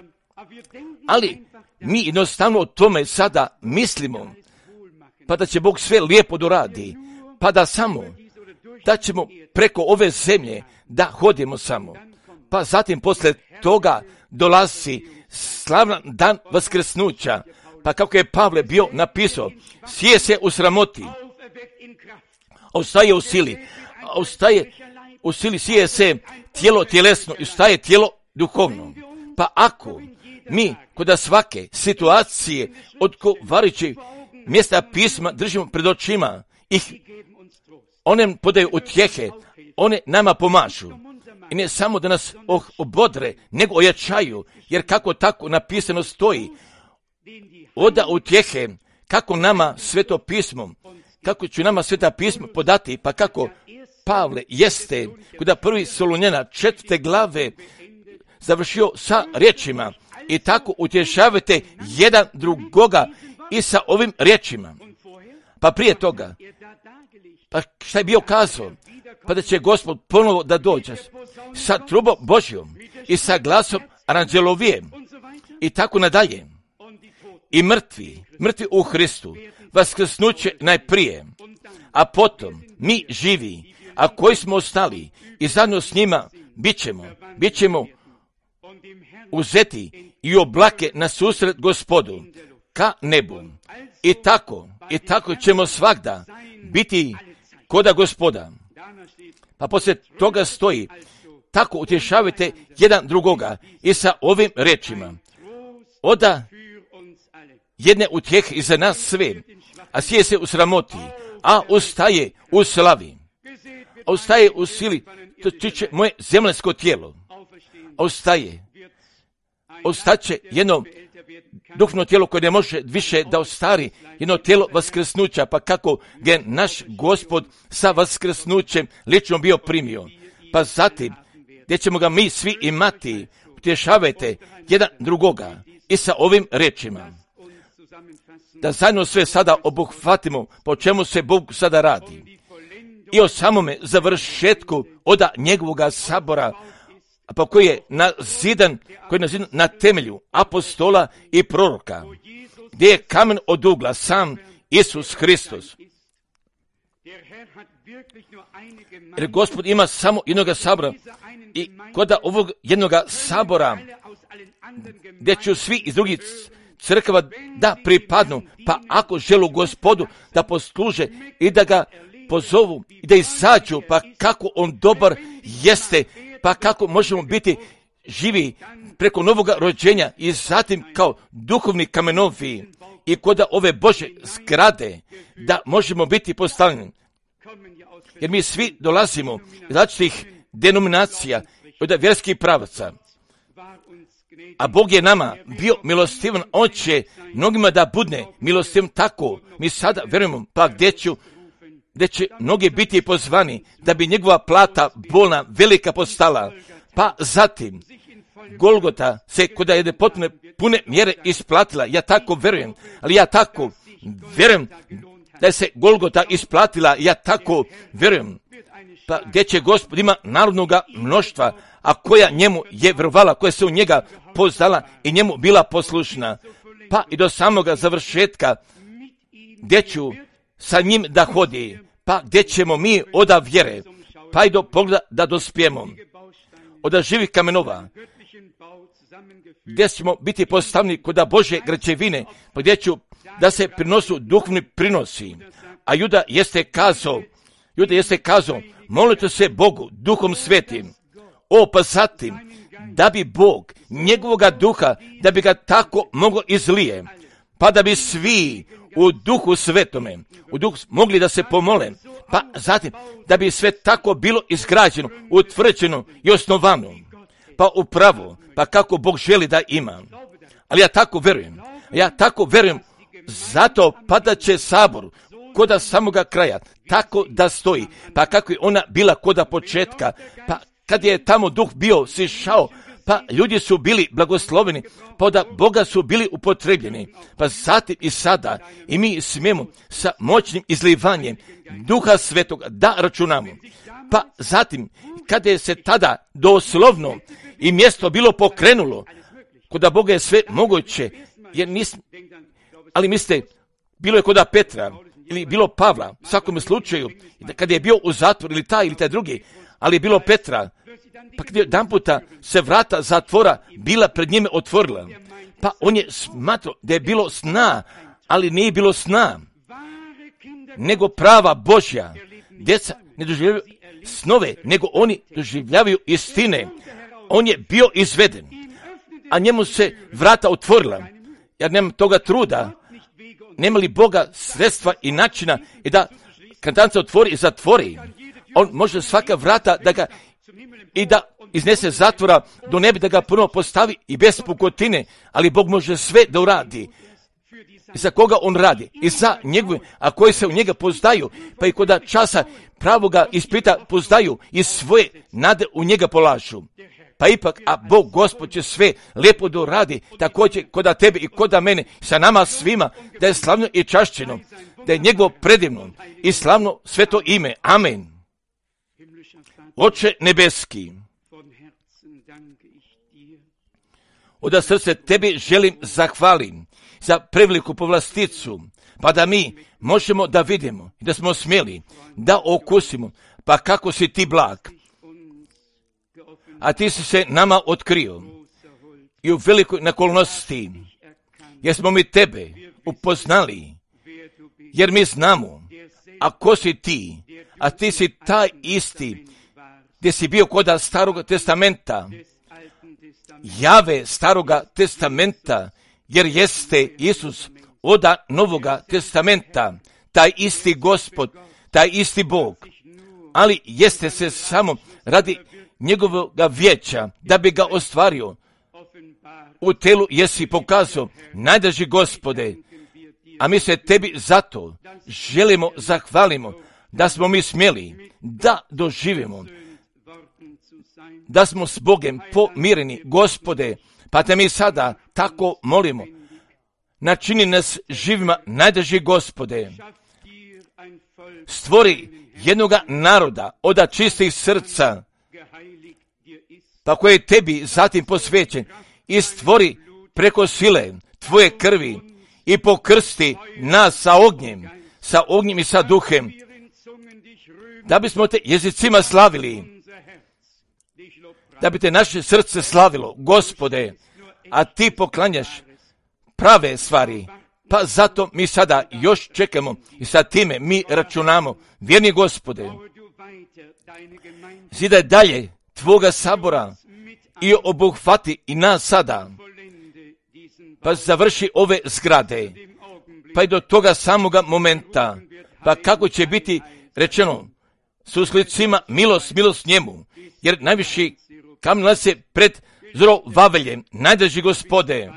Ali mi jednostavno o tome sada mislimo, pa da će Bog sve lijepo doradi, pa da samo, da ćemo preko ove zemlje da hodimo samo. Pa zatim posle toga dolazi slavan dan vaskrsnuća, pa kako je Pavle bio napisao, sije se u sramoti, ostaje u sili, sije se tijelo tjelesno i ostaje tijelo duhovno. Pa ako mi kod svake situacije odgovarajućih mjesta pisma držimo pred očima, one podaju utjehe, one nama pomažu. I ne samo da nas obodre, nego ojačaju, jer kako tako napisano stoji, oda utjehe, kako nama sveto pismo, kako će nama sveta pismo podati, pa kako Pavle jeste, kod 1. Solunjana 4. glave završio sa riječima, i tako utješavate jedan drugoga i sa ovim riječima. Pa prije toga, pa šta je bio kazao? Pa da će Gospod ponovo da dođe sa trubom Božjom i sa glasom aranđelovije i tako nadalje. I mrtvi u Hristu vaskrsnuće najprije, a potom mi živi, a koji smo ostali i zajedno s njima bit ćemo uzeti i oblake na susret Gospodu ka nebu. I tako ćemo svagda biti koda Gospoda. Pa poslije toga stoji, tako utješavajte jedan drugoga i sa ovim rečima. Oda jedne utjehe i za nas sve, a sije se u sramoti, a ustaje u slavi. Ostaje u sili, to tiče moje zemljsko tijelo. Ostaće jedno duhovno tijelo koje ne može više da ostari, jedno tijelo vaskrsnuća, pa kako ga naš Gospod sa vaskrsnućem lično bio primio. Pa zatim, gdje ćemo ga mi svi imati, utješavajte jedan drugoga i sa ovim rečima. Da zajedno sve sada obuhvatimo po čemu se Bog sada radi. I o samome završetku od njegovoga sabora, pa koji je nazidan na temelju apostola i proroka, gdje je kamen od ugla sam Isus Hristos. Jer Gospod ima samo jednoga sabora i kod ovog jednoga sabora gdje će svi iz drugih crkava da pripadnu, pa ako želu Gospodu da posluže i da ga pozovu i da izađu, pa kako on dobar jeste, pa kako možemo biti živi preko novoga rođenja i zatim kao duhovni kamenovi i kod ove Bože zgrade da možemo biti postavljeni. Jer mi svi dolazimo iz različitih denominacija, od vjerskih pravaca. A Bog je nama bio milostivan, on će mnogima da budne milostivan tako. Mi sada vjerujemo, pa gdje će mnogi biti pozvani da bi njegova plata bolna, velika postala. Pa zatim, Golgota se kod jedne potpune pune mjere isplatila. Ja tako vjerujem, ali ja tako vjerujem da se Golgota isplatila. Ja tako vjerujem. Pa gdje će Gospod ima narodnoga mnoštva, a koja njemu je vjerovala, koja se u njega poznala i njemu bila poslušna. pa i do samoga završetka, gdje ću sa njim da hodi, pa gdje ćemo mi oda vjere, pa i do pogleda da dospijemo, od živih kamenova, gdje ćemo biti postavljeni kod Božje građevine, pa gdje ću da se prinosu duhovni prinosi. A Juda jeste kazao, molite se Bogu duhom svetim, pa zatim, da bi Bog njegovoga duha, da bi ga tako moglo izlije, pa da bi svi u duhu svetome, u duhu mogli da se pomole, pa zatim, da bi sve tako bilo izgrađeno, utvrđeno i osnovano, pa upravo, pa kako Bog želi da ima. Ali ja tako verujem, zato padat će sabor koda samoga kraja, tako da stoji, pa kako je ona bila koda početka, pa kad je tamo duh bio sišao, pa ljudi su bili blagosloveni, pa da Boga su bili upotrebljeni, pa zatim i sada i mi smijemo sa moćnim izlivanjem Duha Svetog da računamo. Pa zatim, kada je se tada doslovno i mjesto bilo pokrenulo, kod Boga je sve moguće, ali mislite, bilo je kod Petra ili bilo Pavla, u svakom slučaju, kada je bio u zatvoru ili taj drugi, ali je bilo Petra, pa kada je jedan puta se vrata zatvora bila pred njime otvorila, pa on je smatrao da je bilo sna, ali nije bilo sna, nego prava Božja. Djeca ne doživljavaju snove, nego oni doživljavaju istine. On je bio izveden, a njemu se vrata otvorila, jer nema toga truda, nema li Boga sredstva i načina i da kad se otvori i zatvori, on može svaka vrata da ga i da iznese zatvora do neba, da ga ponovo postavi i bez pukotine, ali Bog može sve da uradi. I za koga on radi? I za njegove, a koji se u njega pozdaju, pa i koda časa pravoga ispita pozdaju i svoje nade u njega polažu. Pa ipak, a Bog Gospod će sve lijepo da uradi, također koda tebe i koda mene, sa nama svima, da je slavno i čašćeno, da je njegovo predivno i slavno sveto ime. Amen. Oče nebeski, od srce tebi želim zahvalim za preveliku povlasticu, pa da mi možemo da vidimo i da smo smjeli da okusimo, pa kako si ti blag, a ti si se nama otkrio i u velikoj nakolnosti, jer smo mi tebe upoznali, jer mi znamo, a ko si ti, a ti si taj isti, gdje si bio koda Staroga testamenta, Jave Staroga testamenta, jer jeste Isus oda Novoga testamenta, taj isti Gospod, taj isti Bog, ali jeste se samo radi njegovog vijeća, da bi ga ostvario. U telu jesi pokazao, najdraži Gospode, a mi se tebi zato želimo zahvalimo, da smo mi smjeli da doživimo, da smo s Bogem pomireni, Gospode, pa te mi sada tako molimo, načini nas živima, najdraži Gospode, stvori jednoga naroda od čistih srca, pa koji je tebi zatim posvećen, i stvori preko sile tvoje krvi i pokrsti nas sa ognjem i sa duhem, da bismo te jezicima slavili, da bi te naše srce slavilo, Gospode, a ti poklanjaš prave stvari, pa zato mi sada još čekamo i sa time mi računamo, vjerni Gospode, zidaj dalje tvoga sabora i obuhvati i nas sada, pa završi ove zgrade, pa i do toga samoga momenta, pa kako će biti rečeno, su slicima milost njemu, jer najviši kamen nalazi pred Zorovaveljem, najdraži Gospode,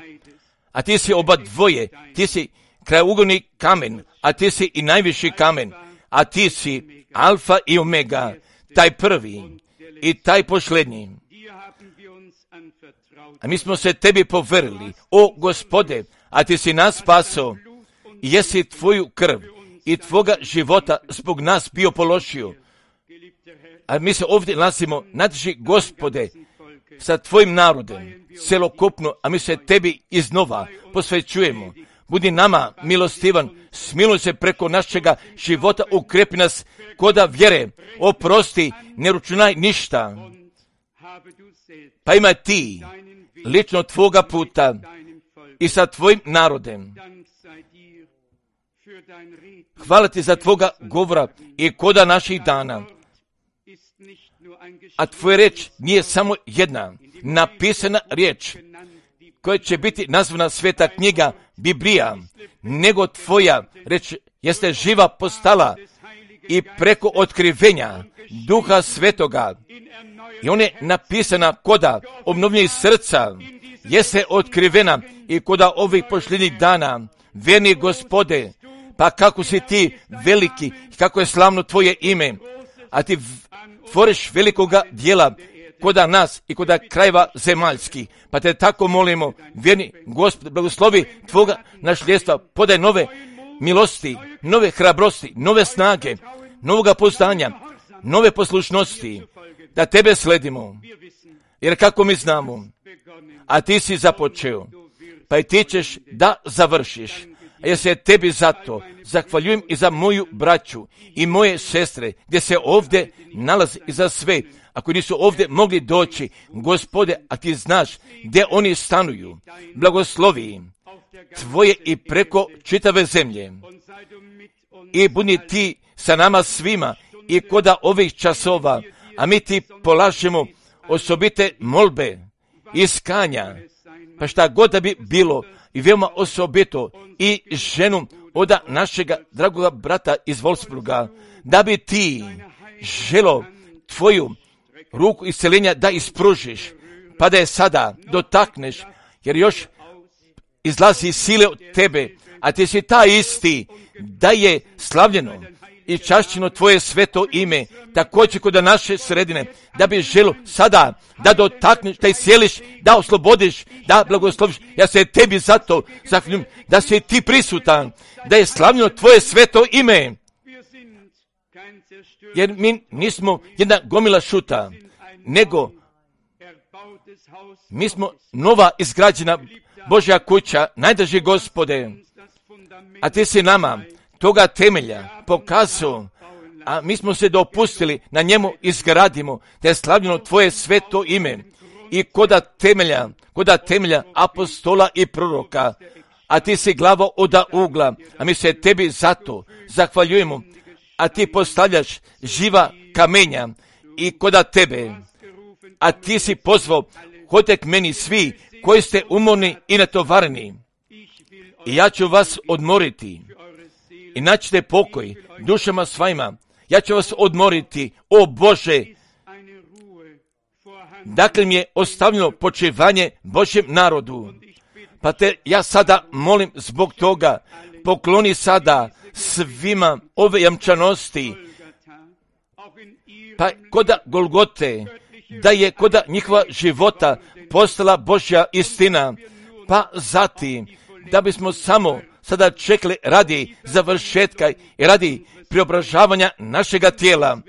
a ti si oba dvoje, ti si krajeugolni kamen, a ti si i najviši kamen, a ti si Alfa i Omega, taj prvi i taj posljednji. A mi smo se tebi poverili, o Gospode, a ti si nas spasao i jesi tvoju krv i tvoga života zbog nas bio položio. A mi se ovdje nalazimo, najdraži Gospode, sa tvojim narodem, celokupno, a mi se tebi iznova posvećujemo. Budi nama milostivan, smiluj se preko našega života, ukrepi nas koda vjere, oprosti, ne računaj ništa. Pa ima ti lično tvoga puta i sa tvojim narodem. Hvala ti za tvoga govora i koda naših dana. A tvoja riječ nije samo jedna napisana riječ koja će biti nazvana sveta knjiga Biblija, nego tvoja riječ jeste živa postala i preko otkrivenja Duha Svetoga. I ona je napisana koda obnovljenih srca, jeste otkrivena i koda ovih posljednjih dana. Verni Gospode, pa kako si ti veliki, kako je slavno tvoje ime, a ti tvoriš velikoga dijela koda nas i koda krajeva zemaljskih. Pa te tako molimo, vjerni Gospod, blagoslovi tvoga nasljedstva, podaj nove milosti, nove hrabrosti, nove snage, novoga poznanja, nove poslušnosti, da tebe sledimo. Jer kako mi znamo, a ti si započeo, pa i ti ćeš da završiš. A ja se tebi zato zahvaljujem i za moju braću i moje sestre, gdje se ovdje nalazi i za sve. Ako nisu ovdje mogli doći, Gospode, a ti znaš gdje oni stanuju, blagoslovi tvoje i preko čitave zemlje. I budi ti sa nama svima i koda ovih časova, a mi ti polažemo osobite molbe, iskanja, pa šta god da bi bilo, i veoma osobito i ženu od našega dragoga brata iz Wolfsburga, da bi ti želo tvoju ruku isceljenja da ispružiš, pa da je sada dotakneš, jer još izlazi sile od tebe, a ti si ta isti, da je slavljeno i čašćeno tvoje sveto ime, također kod naše sredine, da bi želo sada da dotakneš, da iscijeliš, da oslobodiš, da blagosloviš. Ja se tebi zato zahvaljujem da si ti prisutan, da je slavljeno tvoje sveto ime. Jer mi nismo jedna gomila šuta, nego mi smo nova izgrađena Božja kuća, najdraži Gospode, a ti si nama toga temelja pokazao, a mi smo se dopustili na njemu izgradimo, da je slavljeno tvoje sveto ime i koda temelja apostola i proroka, a ti si glava oda ugla, a mi se tebi zato zahvaljujemo, a ti postavljaš živa kamenja i koda tebe, a ti si pozvao, hodite k meni svi koji ste umorni i natovareni, i ja ću vas odmoriti i naćete pokoj dušama svojima. Ja ću vas odmoriti, o Bože. Dakle mi je ostavljeno počivanje Božjem narodu. Pa te ja sada molim zbog toga, pokloni sada svima ove jamčanosti, pa koda Golgote, da je koda njihova života postala Božja istina, pa zatim da bismo samo sada čekali radi završetka i radi preobražavanja našega tijela.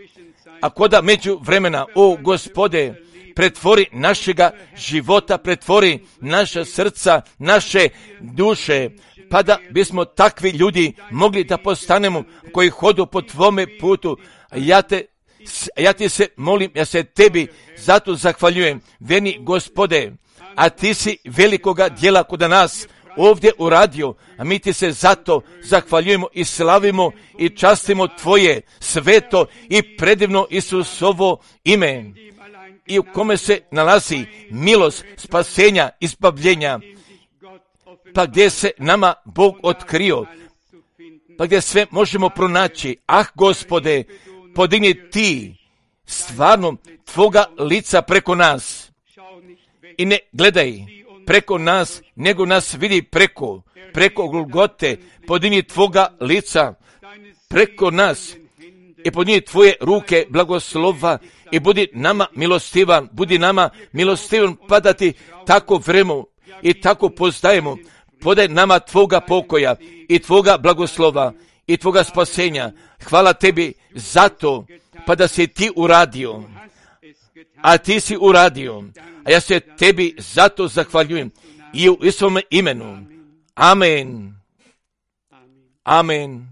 A koda među vremena, o Gospode, pretvori našega života, pretvori naša srca, naše duše, pa da bismo takvi ljudi mogli da postanemo koji hodu po tvome putu. Ja ti se molim, ja se tebi zato zahvaljujem, verni Gospode, a ti si velikoga djela kod nas ovdje uradio, a mi ti se zato zahvaljujemo i slavimo i častimo tvoje sveto i predivno Isusovo ime, i u kome se nalazi milost, spasenja, izbavljenja, pa gdje se nama Bog otkrio, pa gdje sve možemo pronaći. Ah, Gospode, podigni ti stvarno tvoga lica preko nas i ne gledaj preko nas, nego nas vidi preko Golgote. Podigni tvoga lica preko nas i podigni tvoje ruke blagoslova i budi nama milostivan, pa da ti tako vremo i tako poznajemo. Podaj nama tvoga pokoja i tvoga blagoslova i tvoga spasenja. Hvala tebi za to, pa da si ti uradio. a ti si uradio, a ja se tebi zato zahvaljujem i u svome imenu. Amen. Amen.